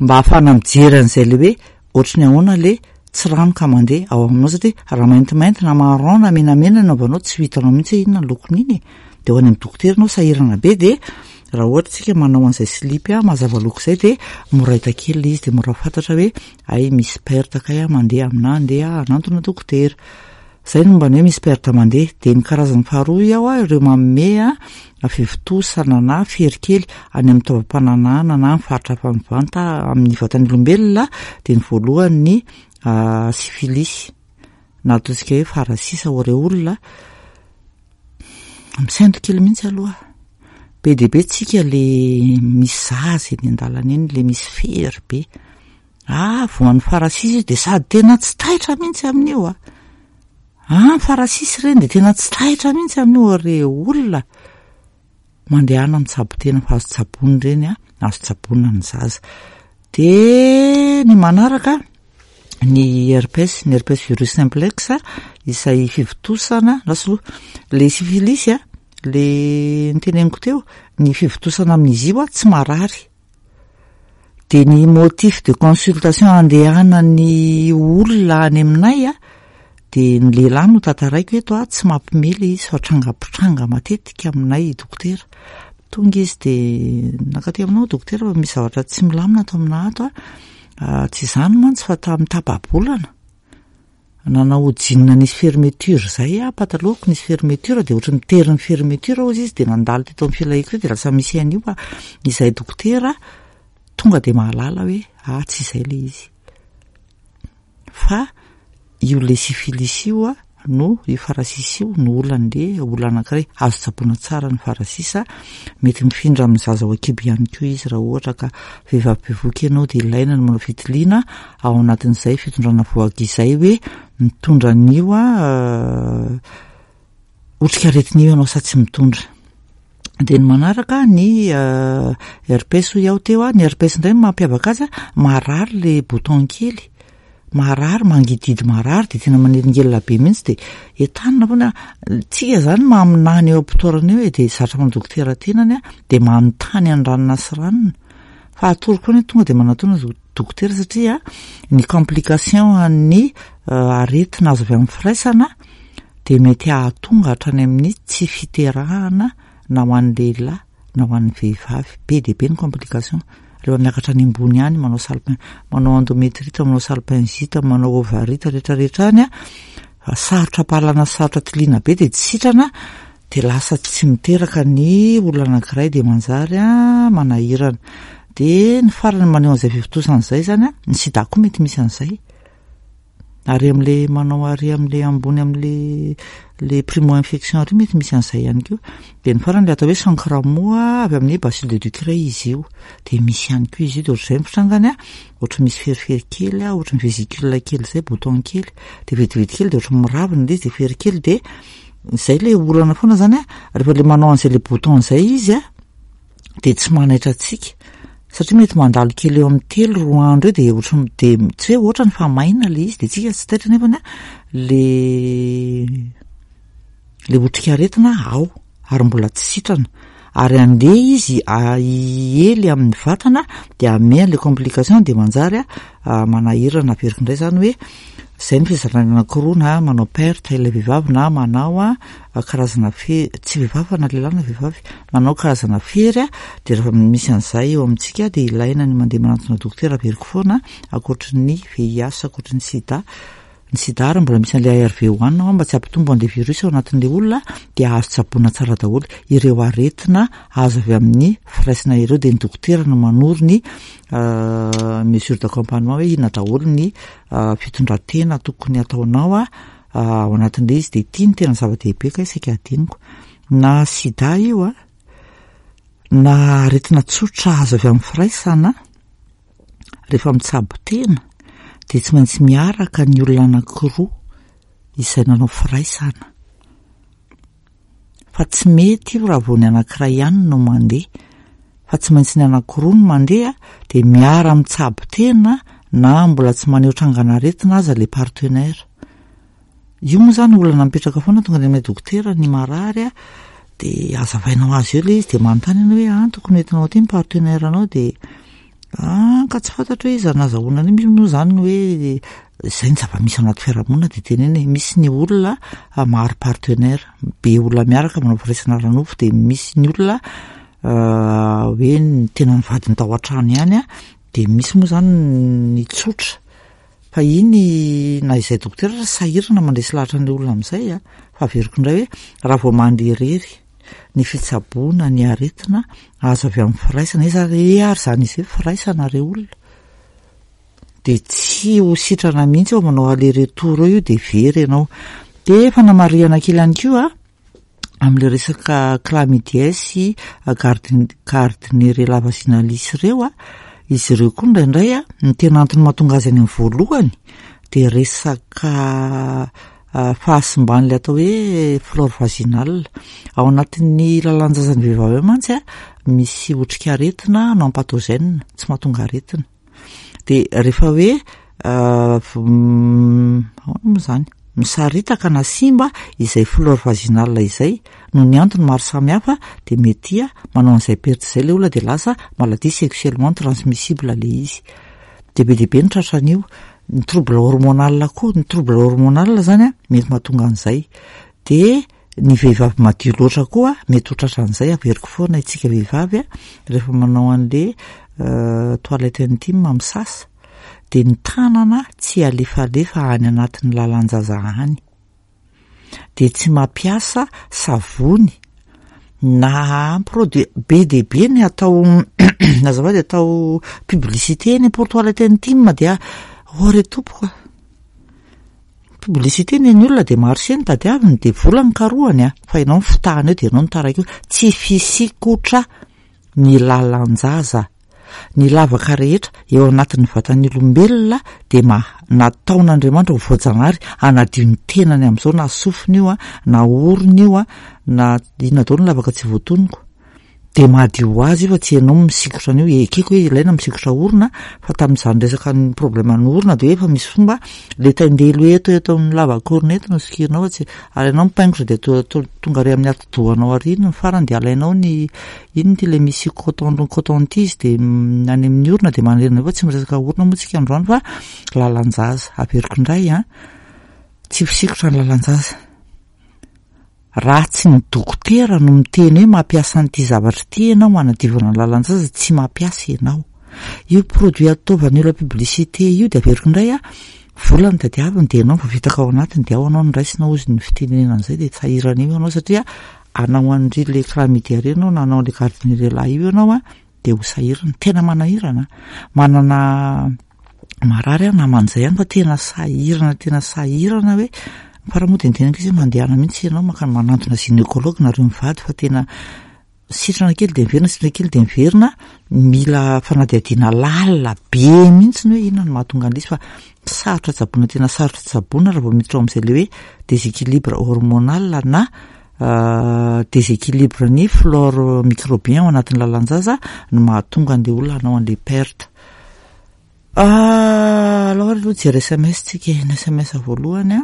mba ahafahana mijery an'izay le hoe ohatry ny ahoana le tsiranoka mandeha ao aminao, satria raha maintimainty na marron na menamena ny anaovanao tsy ho hitanao mihitsy hoe inona ny lokon'iny e. De ho any amin'ny dokotera anao sahirana be. De raha ohatra tsika manao an'izay slipy a mazava loko zay, de mora hita kely le izy, de mora fantatra hoe ay misy perte kay a mandeha amina, andeha hanantona dokotera. Zay no momba ny hoe misy perte mandeha. De ny karazany faharoa ao a, ireo manome a fivontosana na fery kely any amin'ny taovam-pananahana na amin'ny faritra hafa mivanta amin'ny vatan'ny olombelona, de ny voalohany ny syphilis na ataontsika hoe farasisa ho ireo olona misento kely mihitsy aloha. Be dia be tsika le misy zaza eny an-dalana eny le misy fery be, ah voan'ny farasisa izy de sady tena tsy taitra mihitsy amin'io a, ah farasisa ireny de tena tsy taitra mihitsy amin'io. Re olona mandehana mitsabo tena fa azo tsaboina ireny a, azo tsaboina ny zaza. De ny manaraka ny herpes, ny herpes virus simplex izay fivontosana lasa aloha le syphilis a, le niteneniko teo, ny fivontosana amin'izy io a tsy marary. De ny motif de consultation andehanany olona any aminay a, de ny lehilahy no tantaraiko eto a, tsy mampimely izy fa tranga-pitranga matetika aminay dokotera. Tonga izy de nankaty aminao dokotera fa misy zavatra tsy milamina ato amina ato a, tsy izany mantsy fa tamin'ny tapa-bolana Nanao jean nisy fermeture zay aho, patalohako nisy fermeture, de ohatry nitery ny fermeture hozy izy, de nandalo teto amin'ny filahiako teo, de lasa misy an'io. Fa izay dokotera tonga de mahalala hoe ah, tsy izay le izy, fa io le syphilis io a, no io farasisa io no olan'le olona anankiray. Azo tsaboina tsara ny farasisa, mety mifindra amin'ny zaza ao an-kibo ihany koa izy. Raha ohatra ka vehivavy bevohoka ianao, de ilaina ny manao fitiliana ao anatin'izay fitondrana vohoka izay hoe mitondra an'io a otrikaretina io ianao sa tsy mitondra. De ny manaraka ny herpès hoy aho teo a, ny herpès indray ny mampiavaka azy a, marary le bouton kely, marary, mangididy, marary, de tena manelingelina be mihitsy, de entanina foana tsika zany maminany eo am-pitoerana eo e, de zatra manao dokotera tenany a, de manontany any ranona sy ranona, fa atoroko foana hoe tonga de manatona dokotera, satria ny complication an'ny aretina azo avy amin'ny firaisana de mety hahatonga hatrany amin'ny tsy fiterahana, na ho an'ny lehilahy na ho an'ny vehivavy. Be de be ny complication rehefa miakatra any ambony any, manao salpin, manao endométrite, manao salpingite, manao ovarite, rehetrarehetra any a, sarotra ampahalana, sarotra tiliana be, de tsy sitrana, de lasa tsy miteraka ny olona anankiray, de manjary a manahirana. De ny farany maneho an'izay fivontosana zany a, ny sida koa mety misy an'izay, ary am'le manao ary am'le ambony am'le le primo infection ary mety misy an'izay ihany koa. De ny farany le atao hoe chancre moa, avy amin'ny bacille de Ducrey izy io, de misy ihany koa izy io. De ohatr'izay ny fitrangany a, ohatry misy ferifery kely a, ohatry ny vésicule kely zay, bouton kely, de vetivety kely de ohatry miravina le izy, de fery kely, de zay le olana foana zany a. Rehefa le manao an'izay le bouton zay izy a, de tsy manaitra atsika, satria mety mandalo kely eo amin'ny telo roa andro eo, de ohatry de tsy hoe ohatra ny fa maina le izy, de tsika tsy taitra, nefany a le le otrikaretina ao ary mbola tsy sitrana, ary andeha izy hiely amin'ny vatana, de ame le complication, de manjary a manahirana. Averiko indray zany hoe zay ny fizarana anankiroa: na manao perte ilay vehivavy, na manao a karazana fe, tsy vehivavy fa na lehilahy na vehivavy manao karazana fery a. De rehefa misy an'izay eo amintsika, de ilaina ny mandeha manantona dokotera. Averiko foana, ankoatry ny V I H, ankoatry ny sida, ny sida ary mbola misy an'le A R V hohanina ao mba tsy hampitombo an'le virus ao anatin'le olona, de azo tsaboina tsara daholo ireo aretina azo avy amin'ny firaisana ireo. De ny dokotera no manoro ny mesure d'accompagnement hoe inona daholo ny fitondran-tena tokony ataonao a ao anatin'le izy. De ity ny tena zava-dehibe ka saika adiniko: na sida io a, na aretina tsotra azo avy amin'ny firaisana, rehefa mitsabo tena de tsy maintsy miaraka ny olona anankiroa izay nanao firaisana, fa tsy mety io raha vao ny anankiray ihany no mandeha, fa tsy maintsy ny anankiroa no mandeha, de miara mitsabo tena, na mbola tsy maneho trangan'aretina aza le partenaire io. Moa zany olana mipetraka foana, tonga de aminay dokotera ny marary a, de azavainao azy eo le izy, de manontany ianao hoe ah, tokony hoentinao aty ny partenaire anao, de ah, ka tsy fantatra hoe iza nazahoana an'io. Misy moa zany hoe zay ny zava-misy ao anaty fiarahamonina, de teneny hoe misy ny olona maro partenaire be, olona miaraka manao firaisana ara-nofo, de misy ny olona hoe ny tena nivadiny tao an-trano ihany a, de misy moa zany ny tsotra. Fa iny na izay dokotera sahirana mandresy lahatra an'le olona amin'izay a. Fa averiko indray hoe raha vao mandeha irery ny fitsaboana ny aretina azo avy amin'ny firaisana izy ary ary zany izy hoe firaisana re olona, de tsy ho sitrana mihitsy eo, manao aller retour eo io, de very ianao. De fanamarihana kely ihany koa amin'le resaka chlamydia sy gardnerella vaginalis ireo a, izy ireo koa indraindray a, ny tena antony mahatonga azy any amin'ny voalohany de resaka fahasimban'le atao hoe flore vaginale. Ao anatin'ny lalan-jazan'ny vehivavy ao mantsy a, misy otrikaretina non pathogène, tsy mahatonga aretina, de rehefa hoe ahoana moa zany, misaritaka na simba izay flore vaginale izay noho ny antony maro samihafa, de mety a manao an'izay perte zay le olona, de lasa maladie sexuellement transmissible le izy, de be dehibe ny tratran'io. Ny trouble hormonal koa, ny trouble hormonal zany a mety mahatonga an'izay, de ny vehivavy madio loatra koa mety ho tratran'izay. Averiko foana, itsika vehivavy a, rehefa manao an'le toilette intime, misasa, dia ny tanana tsy alefalefa any anatin'ny lalan-jaza any, dia tsy mampiasa savony na produit be dia be ny atao azafady atao publicité eny pour toilette intime. Dia ore tompoko a, publicité ny ny olona de marché ny tadiaviny, de vola ny karohany a, fa ianao ny fitahana eo de ianao ny taraiky io. Tsy fisikotra ny lalan-jaza, ny lavaka rehetra eo anatin'ny vatan'ny olombelona de ma nataon'Andriamanitra ho voajanahary anadio ny tenany amin'izao, na sofina io a, na orona io a, na inona daholo ny lavaka tsy voatonoko, de madio ho azy io, fa tsy ianao misikotra an'io. Ekeko hoe ilaina misikotra orona, fa tamin'izany resaka ny problème ny orona de hoe efa misy fomba le taindelo eto eto amin'ny lavakorona eto no sikirinao, fa tsy ary ianao mipaingotra de to- to- tonga ary amin'ny atidohanao ary iny ny farany, de alainao ny ino ty le misy coton coton tige de any amin'ny orona de manerina. Fa tsy miresaka orona moa tsika androany fa lalan-jaza. Averiko indray a, tsy fisikotra ny lalan-jaza raha tsy ny dokotera no miteny hoe mampiasa an'ity zavatra ity ianao manadiovana ny lalan-jaza, tsy mampiasa ianao io produit ataovan'ny olona publicité io. De averiko indray a, vola ny tadiaviny, de ianao voafitaka ao anatiny, de ao anao ny raisina ozy ny fitenenana an'izay, de sahirana io ianao satria anao an'ry le chlamydia reny anao na anao le gardnerella io ianao a, de ho sahirana, tena manahirana. Manana marary aho naman'izay ihany fa tena sahirana, tena sahirana hoe fa raha moa de niteneniko izy hoe mandehana mihitsy ianao maka manantona gynécologue nareo mivady, fa tena sitrana kely de miverina, sitrana kely de miverina, mila fanadihadiana lalina be mihitsy ny hoe inona no mahatonga an'ilay izy, fa sarotra tsaboina, tena sarotra tsaboina raha vao miditra ao amin'izay le hoe déséquilibre hormonal na déséquilibre ny flore microbien ao anatin'ny lalan-jaza no mahatonga an'le olona hanao an'le perte. Aloha aloha jery S M S tsika, ny S M S voalohany a.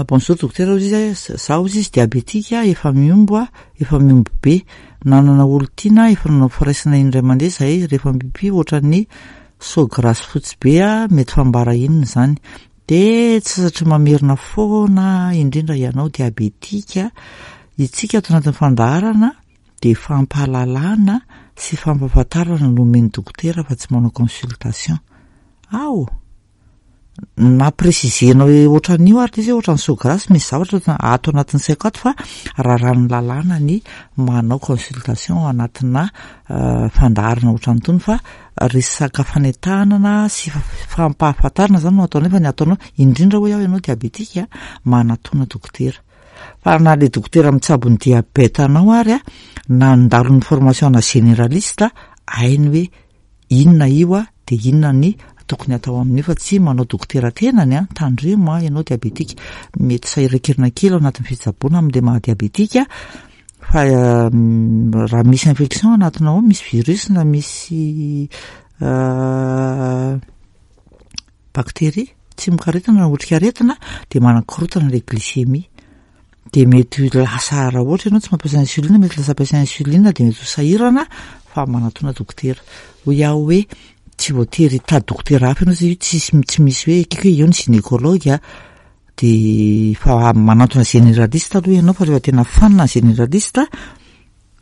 Bonjour docteur, hozy izy, zaho hozy izy diabétique efa miombo a, efa miombo be, nanana olo tiana, efa nanao firaisana indray mandeha zahay, rehefa mipipi ohatran'ny so grasse fotsy be a, mety fambara inona zany? De tsy satria mamerina foana, indrindra ianao diabétique, itsika ato anatin'ny fandaharana de fampahalalana sy fampahafantarana no omen'ny dokotera fa tsy manao consultation ao na précisenao hoe ohatran'io ary izy hoe ohatran'ny so grasse, misy zavatra ato anatin'ny saiko ato, fa raha rano lalàna ny manao consultation ao anatina fandaharana ohatran'itony, fa resaka fanentanana sy fampahafantarana zany no atao. Nefa ny ataonao indrindra hoe aho ianao diabétique manatona dokotera, fa na le dokotera mitsabo ny diabète anao ary a, nandalo ny formation na généraliste, hainy hoe inona io a, de inona ny tokony atao amin'io, fa tsy manao dokotera tenany a. Tandremo a, ianao diabétique mety sahirankirina kely ao anatin'ny fitsaboana amin'le maha diabétique, fa raha misy infection anatinao ao, misy virus na misy bactérie, tsimokaretina na otrikaretina, de manakorotana le glycémie, de mety lasa, raha ohatra ianao tsy mampiasa insuline, mety lasa ampiasa insuline, de mety ho sahirana. Fa manatona dokotera hoy aho hoe tsy voatery hitady dokotera hafa ianao satria io tsisy, tsy misy hoe ekeko hoe eo ny gynécologue a, de fa manantona généraliste aloha ianao, fa rehefa tena fanina ny généraliste,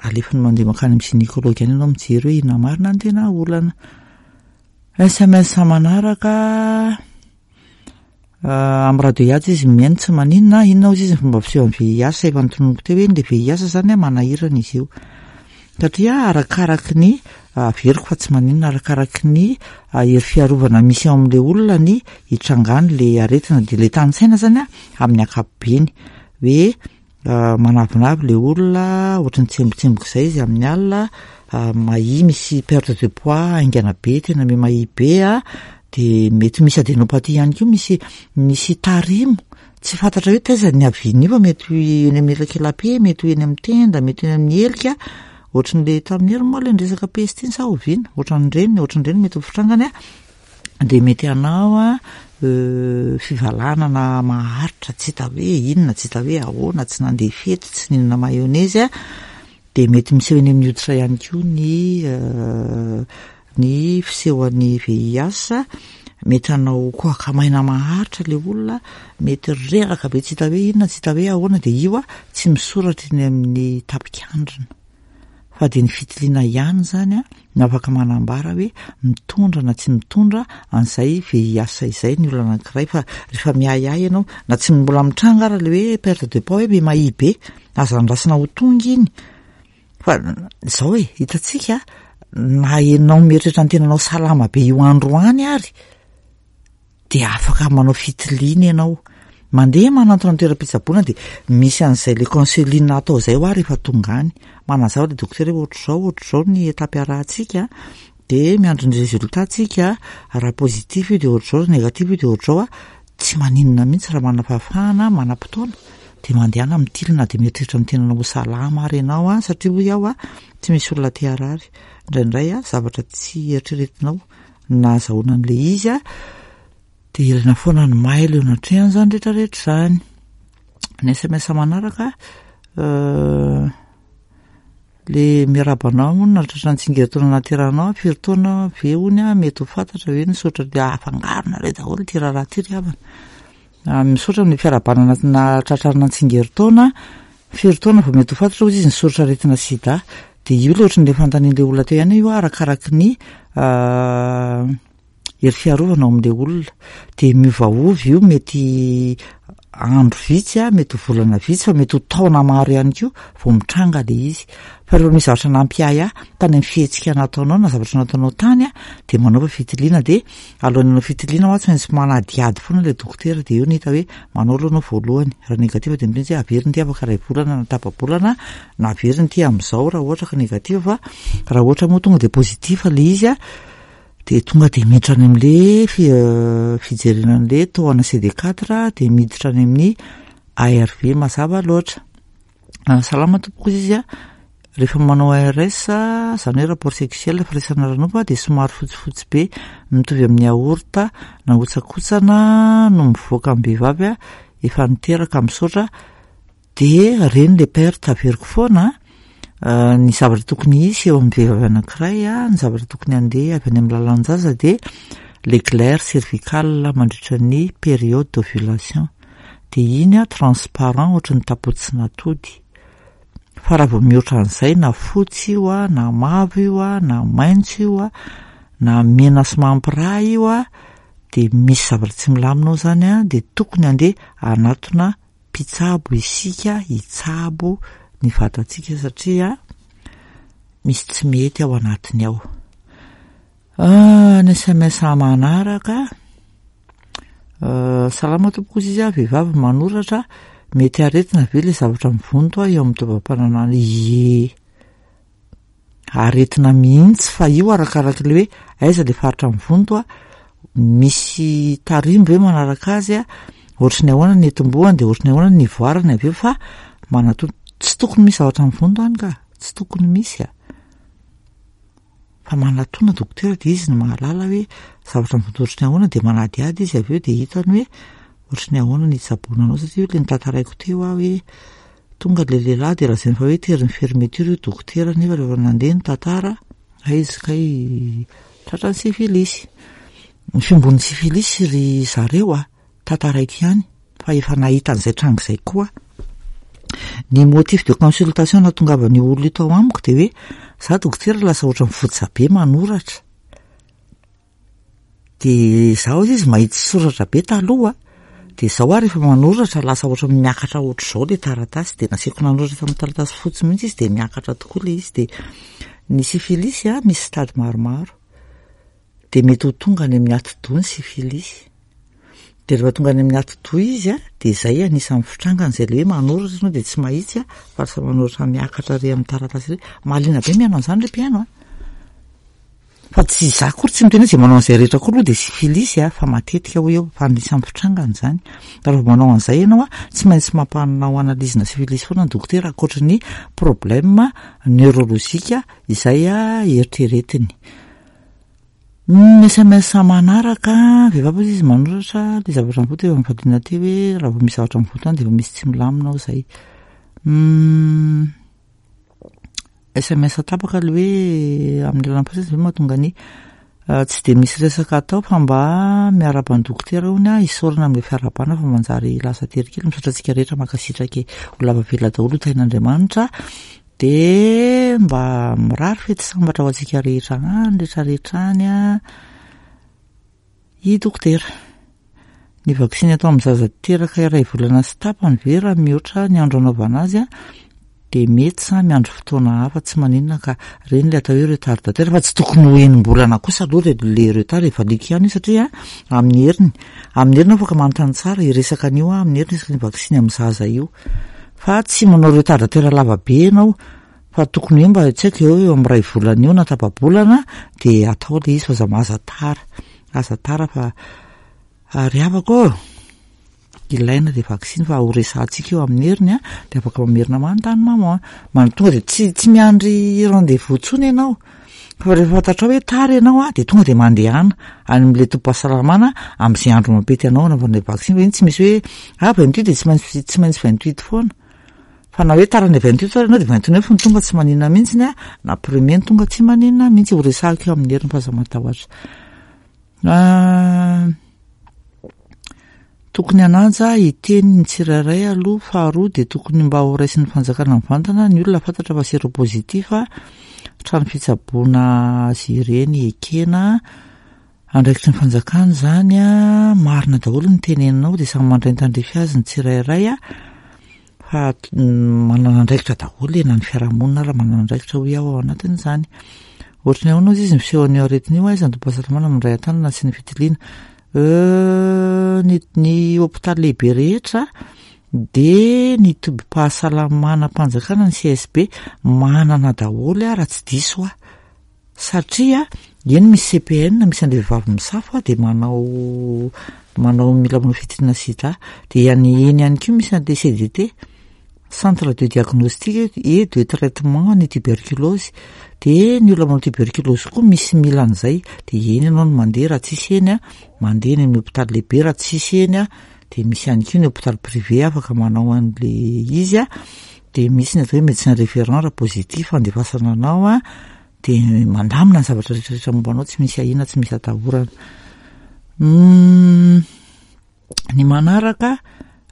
alefany mandeha mankany amin'ny gynécologue any ianao mijery hoe inona marina ny tena olana. S M S manaraka, amin'ny radio hiaja izy mihaino, tsy maninona. Inona hozy izy ny fomba fiseho amin'ny V I H? Efa notononiko teo hoe le V I H zany a, manahirana izy io satria arakaraky ny, averiko fa tsy maninona, arakaraky ny hery fiarovana misy ao amin'le olona ny hitrangany le aretina. De le tany-tsaina zany a, amin'ny ankapobeny hoe manavinavy le olona, ohatry ny tsembotsemboka izay izy amin'ny alina, mahia, misy perte de poids haingana be, tena me mahia be a, de mety misy adénopathie ihany koa, misy misy tarimo tsy fantatra hoe taiza ny avian'io, fa mety eny amin'ny elakelape, mety ho eny amin'ny tenda, mety eny amin'ny helika, ohatran'le tamin'ny hery moa le niresaka peste iny sa oviana, ohatran'ireny ohatran'ireny mety ho fitrangany a, de mety hanao a fivalanana maharitra tsy hita hoe inona, tsy hita hoe ahoana, tsy nandeha fety, tsy nihinana mayonnaise a, de mety miseho eny amin'ny hoditra ihany koa ny ny fisehoan'ny V I H, mety hanao kohaka maina maharitra le olona, mety reraka be tsy hita hoe inona, tsy hita hoe ahoana, de io a tsy misoratra eny amin'ny tapikandrina. Fa dia ny fitiliana ihany izany no afaka manambara hoe mitondra na tsy mitondra an'izay V I H izay ny olona anankiray. Fa rehefa miahiahy ianao, na tsy mbola mitranga ara le hoe perte de poids, hoe be mahia be, aza andrasana ho tonga iny. Fa zao e, hitantsika, na ianao mieritreritra ny tenanao salama be io androany ary, de afaka manao fitiliana ianao, mandeha manantona ny toeram-pitsaboana, de misy an'izay le counseling atao zay ho a. Rehefa tonga any, manazava le dokotera hoe ohatr'izao ohatr'izao ny étape arahantsika, de miandro ny résultat tsika. Raha positif io de ohatr'izao, raha négatif io de ohatr'izao. A tsy maninona mihitsy raha manana fahafahana, manam-potoana, de mandehana mitilina, de mieritreritra ny tenanao ho salama ary ianao a, satria hoy aho a, tsy misy olona te harary. Indraindray a, zavatra tsy eritreretinao na azahoana an'le izy a, de ilaina foana ny mailo eo anatrehany zany rehetrarehetra zany. Ny S M S manaraka, le miarahaba anao nahatratra ny tsingerin-taona nahaterahanao, firy taona ve hony a mety ho fantatra ve ny sotra de afangaronareo daholo ty raharaha ty ry havana. Misaotra ny fiarahabana nahatratrarina ny tsingerin-taona. Firy taona vao mety ho fantatra hozy izy ny soratra aretina sida? De io le ohatran'le fanontanian'le olona teo ihany io, arakaraky ny hery fiarovana ao amin'le olona, de miovaova io. Mety andro vitsy a, mety ho volana vitsy, fa mety ho taona maro ihany koa vao mitranga le izy. Fa rehefa misy zavatra nampiahy ahy tany amin'ny fihetsika nataonao na zavatra nataonao tany a, de manaova fitiliana. De alohan'ny hanao fitiliana hoa, tsy maintsy manadihady foana le dokotera, de eo ny hita hoe manao aloha anao voalohany. Raha négatif de miteny hoe averiny ty afaka ray volana na tapa-bolana, na averiny ty am'izao raha ohatra ka négatif. Fa raha ohatra moa tonga de positif le izy a, de tonga de miditra any am'le fijerena an'le taux ana C D quatre, de miditra any amin'ny A R V, mazava loatra. Salama tompoko izy izy a, rehefa manao A R S, zany hoe rapport sexuel, firaisana ara-nofo, de somary fotsifotsy be mitovy amin'ny yaourt na hotsakotsana no mivoaka amin'ny vehivavy a efa niteraka. Misaotra. De reny le perte, averiko foana ny zavatra tokony hisy eo amin'ny vehivavy anankiray a, ny zavatra tokony andeha avy any amin'ny lalan-jaza, de le glaire cervicale mandritra ny période d'ovulation, de iny a transparent ohatry ny tapotsinatody. Fa raha vao mihoatra an'izay, na fotsy io a, na mavo io a, na maitso io a, na mena sy mampiraha io a, de misy zavatra tsy milamina ao zany a, de tokony andeha anatona mpitsabo isika hitsabo ny vatantsika, satria misy tsy mety ao anatiny ao. Ny S M S manaraka, salama tompoko izy izy a, vehivavy manoratra, mety aretina ve le zavatra mivonto a eo amin'ny taovam-pananahana? Ie, aretina mihitsy, fa io arakaraky le hoe aiza le faritra mivonto a, misy tarimbo hoe manaraka azy a, ohatry ny ahoana ny etombohany, de ohatry ny ahoana ny ivoarany avy eo. Fa manato tsy tokony misy zavatra mivonto any ka, tsy tokony misy a, fa manatona dokotera, de izy no mahalala hoe zavatra mivonto ohatry ny ahoana, de manadihady izy avy eo, de hitany hoe ohatry ny ahoana ny hitsaboana anao. Satria le nitantaraiko teo aho hoe tonga le lehilahy, de lazainy fa hoe tery ny fermeture io dokotera, nefa rehefa nandeha ny tantara, aizy kay tratra ny sifilisy. Ny fimbon'ny sifilisy ry zareo a, tantaraiko ihany fa efa nahita an'izay tranga izay koa. Ny motif de consultation nahatongavan'io olona io tao amiko de hoe za dokotera lasa ohatra mivotsa be manoratra, de zaho izy mahitsy soratra be taloha, de zao aho rehefa manoratra lasa ohatra miakatra ohatr'izao le taratasy. De naseko nanoratra tamin'ny taratasy fotsy mihitsy izy, de miakatra tokoa le izy. De ny sifilisy a, misy stade maromaro, de mety ho tonga any amin'ny atidoha ny sifilisy. De rehefa tonga any amin'ny atidoha izy a, de zay anisan'ny fitrangany zay le hoe manoratra anao de tsy mahitsy a, fa lasa manoratra miakatra re amin'ny taratasy re. Mahaliana be mihaino an'izany le mpihaino a, fa tsy za kory tsy miteny hoe zay manao an'izay rehetra koa aloha de sifilisy a, fa matetika hoy eo fa anisan'ny fitrangany zany. Fa rehefa manao an'izay ianao a, tsy maintsy mampanao analyse-na sifilisy foana ny dokotera, ankoatra ny problème neurologique izay a eritreretiny. Ny S M S manaraka, vehivavy izy izy manoratra, le zavatra mivonto efa mivaliana teo hoe raha vao misy zavatra mivonto any de efa misy tsy milamina ao zay. S M S tapaka le hoe amin'ny alalan'ny fasana ve mahatonga ny tsy de misy resaka atao, fa mba miarahaba ny dokotera hony a, isaorana amin'le fiarahabana fa manjary lasa tery kely. Misaotra antsika rehetra, mankasitraka e, ho lava velona daholo, ho tahin'Andriamanitra. De mba mirary fety sambatra ho antsika rehetra any rehetrarehetra any a i dokotera. Ny vaksiny atao amin'ny zaza teraka iray volana sy tapany ve raha mihoatra ny andro anaovana azy a de mety sa miandry fotoana hafa? Tsy maninona ka, reny le atao hoe retardataire, fa tsy tokony ho enim-bolana kosa aloha le le retard, efa liko ihany io, satria amin'ny heriny amin'ny heriny afaka manontany tsara hiresaka an'io a amin'ny heriny isaky ny vaksiny amin'ny zaza io, fa tsy manao retardataire lava be ianao, fa tokony hoe mba tsy haiko eo eo amin'ny ray volana eo na tapa-bolana de atao le izy, fa aza aza tara, aza tara fa ary havako ô, ilaina le vaksiny, fa ho resahantsika io amin'ny heriny a de afaka mamerina manontany maman man tonga de tsy tsy miandry rendez-vous intsony ianao, fa rehefa fantatrao hoe tara ianao a de tonga de mandehana any amin'le tobim-pahasalamana amin'izay andro mampety anao anaovana le vaksiny, fa iny tsy misy hoe ah vingt-huit de tsy maintsy tsy maintsy vingt-huit foana, fa na hoe tara ny vingt-huit ary ianao de vingt-neuf ny tonga tsy maninona mihitsiny a na premier ny tonga tsy maninona mihitsy. Ho resahako io amin'ny heriny fa aza matahotra. Tokony hanaja hiteny ny tsirairay aloha. Faharoa de tokony mba ho raisin'ny fanjakana mivantana ny olona fantatra fa séropositif, trano fitsaboana azy ireny ekena, andraikitry ny fanjakana zany a marina daholo ny teneninao, de samy mandray ny tandrify azy ny tsirairay a fa manana andraikitra daholo e, na ny fiarahamonina ary manana andraikitra hoy aho ao anatin'izany. Ohatry ny ahoana ozy izy ny fisehoan'io aretina io, aiza ny tobim-pahasalamana mandray an-tanana sy ny fitiliana? Ny ny hôpitaly lehibe rehetra de ny tobim-pahasalamana mpanjakana, ny C S B, manana daholo a raha tsy diso aho, satria eny misy C P N, misy an'le vehivavy misafo a de manao manao mila manao fitiliana sida, de any eny ihany koa misy an'le C D T, centre de diagnostic et de traitement ny tuberculose, de ny olona manao tuberculose koa misy mila an'izay, de eny ianao no mandeha. Raha tsisy eny a mandeha eny amin'ny hôpitaly lehibe, raha tsisy eny a de misy ihany koa ny hôpitaly privé afaka manao an'le izy a de misy ny atao hoe médecin référent raha positif andefasana anao a de mandamina ny zavatra rehetrarehetra momba anao, tsy misy ahiana, tsy misy atahorana. Ny manaraka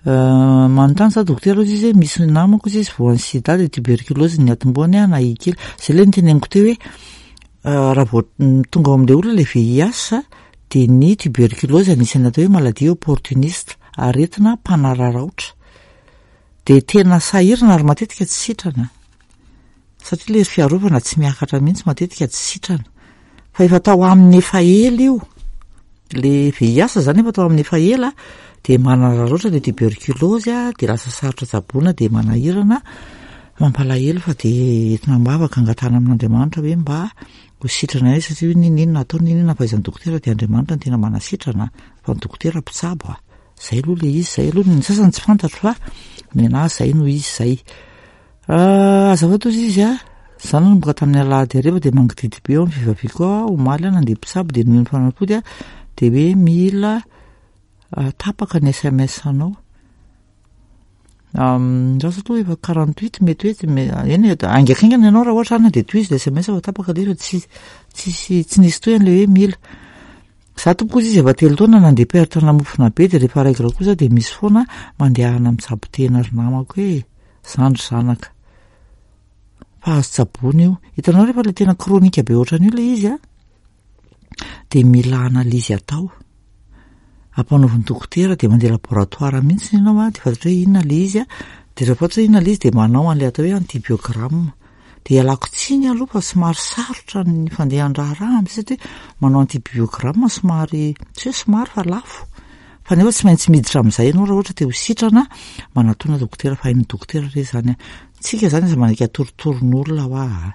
manontany za dokotera ozy izy hoe misy namako izy izy voan'ny sida de tuberculose ny atombohany a na ikely zay le niteneniko teo hoe raha vao tonga ao amin'le olona le V I H, de ny tuberculose anisan'ny atao hoe maladie opportuniste, aretina mpanararaotra, de tena sahirana ary matetika tsy sitrana, satria le fiarovana tsy miakatra mihitsy, matetika tsy sitrana, fa efa tao aminy efa ela io le V I H zany, efa tao amin'ny efa ela, de manararaotra le tuberculose a de lasa sarotra tsaboina, de manahirana, mampalahelo, fa de entina am-bavaka, angatahana amin'Andriamanitra hoe mba ho sitrana izy, satria hoe ninona atao, ninona fahaizan'ny dokotera, de Andriamanitra no tena manasitrana, fa ny dokotera mpitsabo a zay aloha le izy zay aloha, ny sasany tsy fantatro, fa ny anazy zay no izy zay. Azafady ozy izy a za nanomboka tamin'ny alahady hariva de mangididy be eo amin'ny fivaviako a omaly a nandeha mpitsabo, de nomeny fanafody a de hoe mila tapaka ny S M S anao rasa aloha efa quarante-huit, mety hoe eny haingakaingana ianao raha ohatra any de tohizo le S M S, fa tapaka le izy, fa tsy tsisy tsy nisy tohiny le hoe mila za tompoko izy izy efa telo taona nandeha perte namofona be, de rehefa règle kosa de misy foana. Mandehana mitsabo tena ry namako hoe zandry zanaka, fa azo tsaboina io. Hitanao, rehefa le tena chronique be ohatran'io le izy a de mila analyse atao ampanaovin'ny dokotera, de mandeha laboratoire mihitsy ianao a de fantatra hoe inona le izy a de rehefa fantatra hoe inona le izy, de manao an'le atao hoe antibiogramme. De ialako tsiny aloha fa somary sarotra ny fandehan-draharaha am'zay, satria manao antibiogramme somary, tsy hoe somary fa lafo, fa nefa tsy maintsy miditra amin'izay ianao raha ohatra te ho sitrana. Manatona dokotera fa hain'ny dokotera re zany a tsika zany aza manaiky atoritoron'olona hoa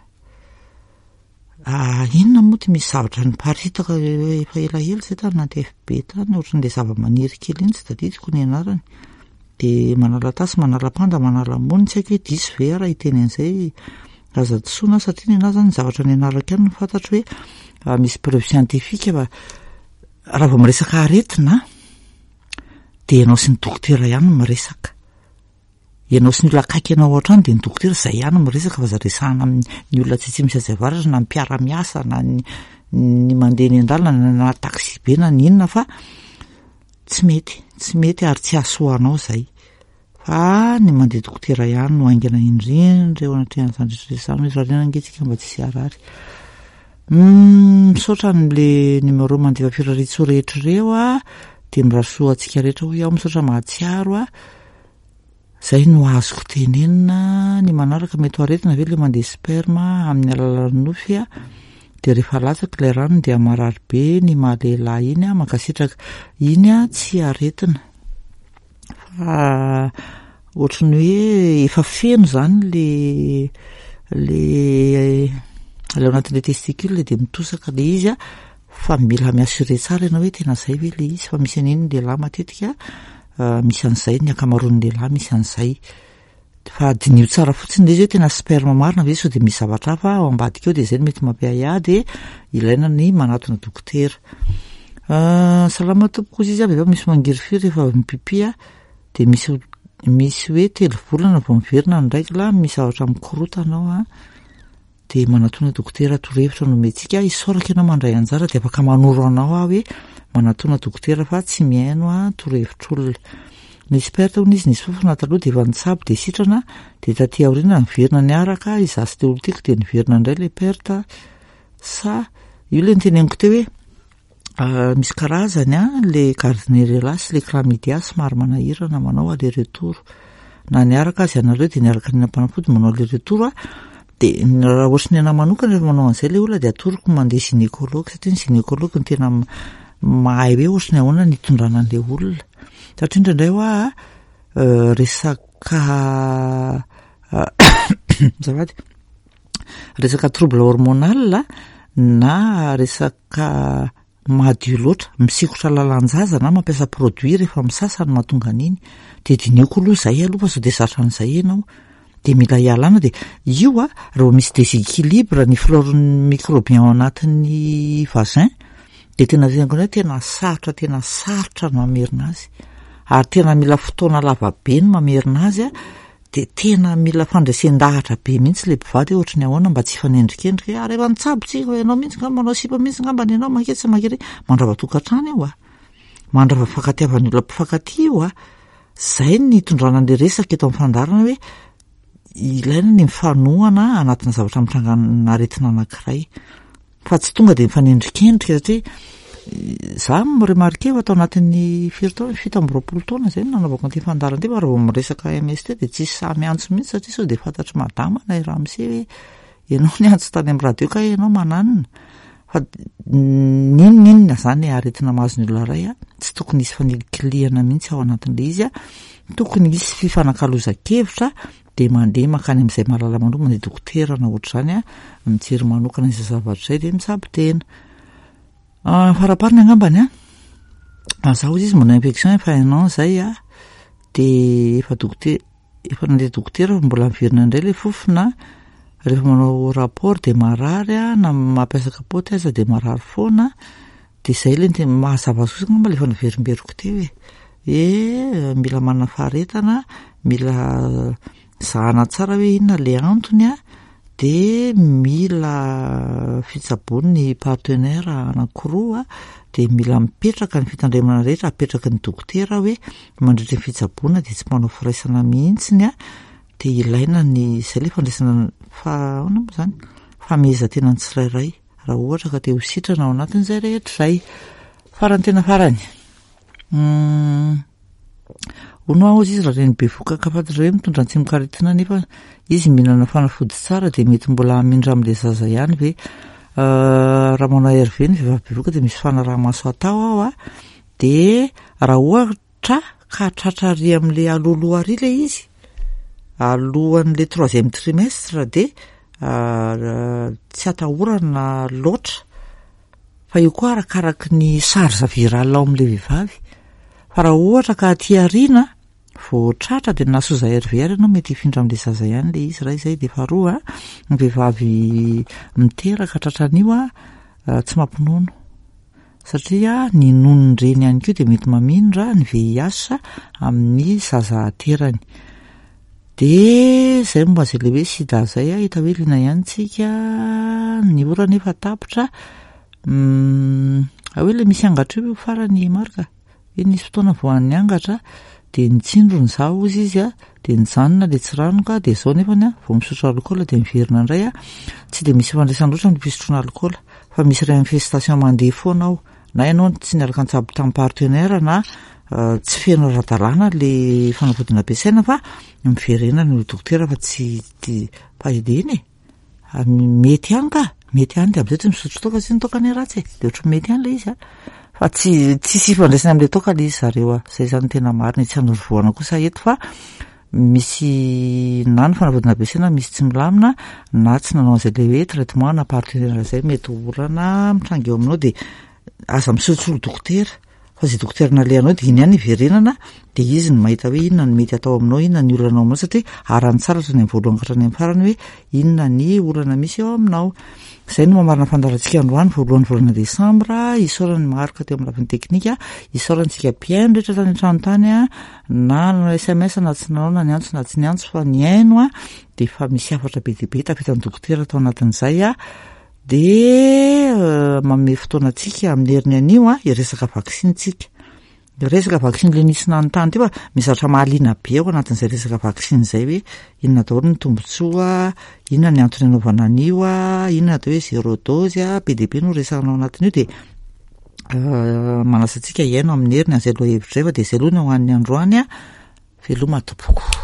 a inona moa ty misy zavatra niparitaka efa elaela zay tany anaty F B tany, ohatran'le zava-maniry kely iny, tsy tadidiko ny anarany, de manala tasy, manala panda, manala mony, tsy haiko hoe diso ve raha hiteny an'izay, aza disoana, satria ny anahy zany ny zavatra ny anarako ihany no fantatro hoe misy preuve scientifique. Fa raha vao miresaka aretina de ianao sy ny dokotera ihany no miresaka, ianao sy ny olona akaiky anao hatrany, de ny dokotera zay ihany miresaka, fa za resahana amin'ny olona tsy tsy misy azy avaratra, na ny mpiara-miasa, na ny ny mandeha ny an-dalana, na taxi be, na ny inona, fa tsy mety, tsy mety ary tsy hahasoa anao zay. Fa ny mandeha dokotera ihany no haingana indrindra eo anatrehan'izany rehetra rehetra izany, irariana ange tsika mba tsy hisy harary. Misaotra an'le numéro mandefa firariantsoa rehetra ireo a, dia mirary soa antsika rehetra hoy aho, misaotra mahatsiaro a. Zay no azoko tenenina. Ny manaraka mety ho aretina ve le mandeha sperme amin'ny alalan'ny nofy a? Dia rehefa latsaka ilay rano dia marary be ny mahalehilahy iny a, mankasitraka. Iny a tsy aretina fa ohatry ny hoe efa feno zany le le le ao anatin'le testicule dia mitosaka le izy a, fa mila mi-assurer tsara ianao hoe tena zay ve le izy, fa misy an'iny ny lehilahy matetika, misy an'izay ny ankamaroan'ny lehilahy misy an'izay, fa diniho tsara fotsiny le izy hoe tena sperme marina ve sao dia misy zavatra hafa ao ambadika ao, dia zay no mety mampiahiahy, dia ilaina ny manatona dokotera. Salama tompoko, hoy izy, vehivavy misy mangirifiry rehefa avy mipipi a, dia misy misy hoe telo volana vao miverina ny règle, misy zavatra mikorotana ao a, dia manatona dokotera, torohevitra no omentsika. Isaorako ianao mandray anjara, dia afaka manoro anao aho hoe manatona dokotera fa tsy mihaino a torohevitr'olona. Nisy perte hono izy, nisy fofona taloha dia efa nitsabo dia sitrana, dia taty aoriana niverina niaraka izaho sy le olon-tiako dia niverina indray le perte. Sa io le niteneniko teo hoe misy karazany a le Gardnerella sy le Chlamydia somary manahirana manao aller retour, na niaraka azy ianareo dia niaraka nihinam-panafody manao aller retour a, dia raha ohatry ny anahy manokana rehefa manao an'izay le olona dia atoroko mandeha gynécologue, satria ny gynécologue no tena mahay hoe ohatry ny ahoana ny hitondrana an'le olona, satria indraindray hoa resaka azafady, resaka trouble hormonal na resaka madio loatra, misikotra lalan-jaza na mampiasa produit rehefa misasa no mahatonga an'iny, dia dinihoko aloha izay aloha fa sao dia zatra an'izay ianao, dia mila hialana. Dia io a raha vao misy déséquilibre ny flore microbien ao anatin'ny vagin dia tena tenako hoe tena sarotra, tena sarotra ny mamerina azy, ary tena mila fotoana lava be ny mamerina azy a, dia tena mila fandresen-dahatra be mihitsy le mpivady hoe ohatry ny ahoana mba tsy hifanendrikendrika hoe ary efa nitsabo tsika fa ianao mihitsy ngamba manao sipa mihitsy ngamba ny ianao maketsy sy makery, mandrava tokantrano io a, mandrava fifankatiavan'ny olona mpifankatia io a. Zay ny hitondrana an'le resaka eto amin'ny fandaharana hoe ilaina ny mifanohana anatina zavatra mitrangana aretina anankiray, fa tsy tonga dia mifanendrikendrika, satria za mi-remarquer fa tao anatin'ny firy taona, fito amby roapolo taona zay no nanaovako an'ity fandaharana ity, fa raha vao miresaka M S T dia tsisy sahy miantso mihitsy, satria sao dia fantatry madama na i ramose hoe ianao niantso tany amin'ny radio ka ianao mananina. Fa n'inon'inona zany aretina mahazo ny olona iray a, tsy tokony hisy fanilikilihana mihitsy ao anatin'ilay izy a, tokony hisy fifanakalozan-kevitra, dia mandeha mankany amin'izay mahalala manokana, mandeha dokotera na ohatr'izany a, mijery manokana izay zavatra izay dia mitsabo tena. Farapariny angambany a, zaho izy manao infection efa un an zay a, dia efa dokotera, efa nandeha dokotera fa mbola miverina indray ilay fofona, rehefa manao rapport dia marary a, na mampiasa kapoty aza dia marary foana, dia izay ilay tena mahazava azy kosa angamba ilay efa niverimberiko teo e, hoe mila manana faharetana, mila zahana tsara hoe inona ilay antony a, dia mila fitsaboan'ny partenaire anankiroa, dia mila mipetraka ny fitandremana rehetra, apetraky ny dokotera hoe mandritra ny fitsaboana dia tsy manao firaisana mihitsy a, dia ilaina ny izay ilay fandraisana fa ahoana moa izany, famehezan-tena ny tsirairay raha ohatra ka te ho sitrana ao anatin'izay rehetra izay. Farany tena farany. Hono aho izy raha reny bevohoka ka fantatra hoe mitondra ny tsimokaretina nefa izy mihinana fanafody tsara dia mety mbola hamindra amin'ilay zaza ihany ve? Raha manao R V ny vehivavy bevohoka dia misy fanaraha-maso atao ao a, dia raha ohatra ka tratra ary amin'ilay alohaloha ary ilay izy, alohan'ilay troisième trimestre dia tsy atahorana loatra, fa io koa arakaraky ny charge virale ao amin'ilay vehivavy. Fa raha ohatra ka aty aoriana vao tratra dia nahasoza R V ary ianao mety hifindra amin'ilay zaza ihany ilay izy, raha izay dia faharoa a, ny vehivavy miteraka tratran'io a, tsy mampinono, satria ny nonon-dreny ihany koa dia mety mamindra ny V I H amin'ny zaza aterany. Dia izay momba izay ilay hoe sida izay a, hita hoe liana ihany tsika, ny ora nefa tapitra. Hoe ilay misy angatra io farany Marc, hoe nisy fotoana voan'ny angatra de nitsindrony za ozy izy a, de nijanona le tsiranoka, de zao nefany a vao misotro alikaola de miverina indray a. Tsy de misy ifandraisany loatra ny fisotroana alikaola fa misy réinfestation mandeha foana ao, na ianao tsy niaraka nitsabo tamin'ny partenaire na tsy feno ara-dalàna le fanafody nampiasaina, fa miverena ny dokotera fa tsy fa eny e, mety ihany ka, mety ihany. De am'izay tsy misotro toaka sy ny toaka ny ratsy e, de ohatry mety ihany le izy a, fa tsy tsisy ifandraisany am'le toaka le izy zareo a. Zay zany tena marina, tsy anorovoana kosa eto fa misy na ny fanafody nampiasaina misy tsy milamina na tsy nanao an'izay le hoe traitement na partenaire zay mety ho olana mitranga eo aminao. De aza misolosolo dokotera fa zay dokotera nalehanao de iny ihany iverenana, de izy no mahita hoe inona no mety atao aminao, inona ny olana ao aminao, satria arany tsara hatrany amin'ny voalohany ka hatrany amin'ny farany hoe inona ny olana misy eo aminao. Zay no mamarana fandaharantsika androany voalohany volana desambra. Isaorany Marka teo amin'ny lafiny teknika, isaorantsika mpihaino rehetra tany an-trano tany a, na nanao S M S na tsy nanao, na niantso na tsy niantso, fa nihaino a, de fa misy hafatra be dia be tafitan'ny dokotera tao anatin'izay a. De manome fotoana antsika amin'ny heriny anio a hiresaka vaksiny tsika, resaka vaksiny le nisy nanontany teo, fa misy zavatra mahaliana be ao anatin'izay resaka vaksiny zay, hoe inona daholo ny tombontsoa, inona ny antony anaovana an'io a, inona atao hoe zéro dose a, be dia be no resahana ao anatin'io. De manasa antsika hihaino amin'ny heriny an'izay lohahevitra zay, fa de zay aloha no hoan'ny androany a. Veloma tompoko.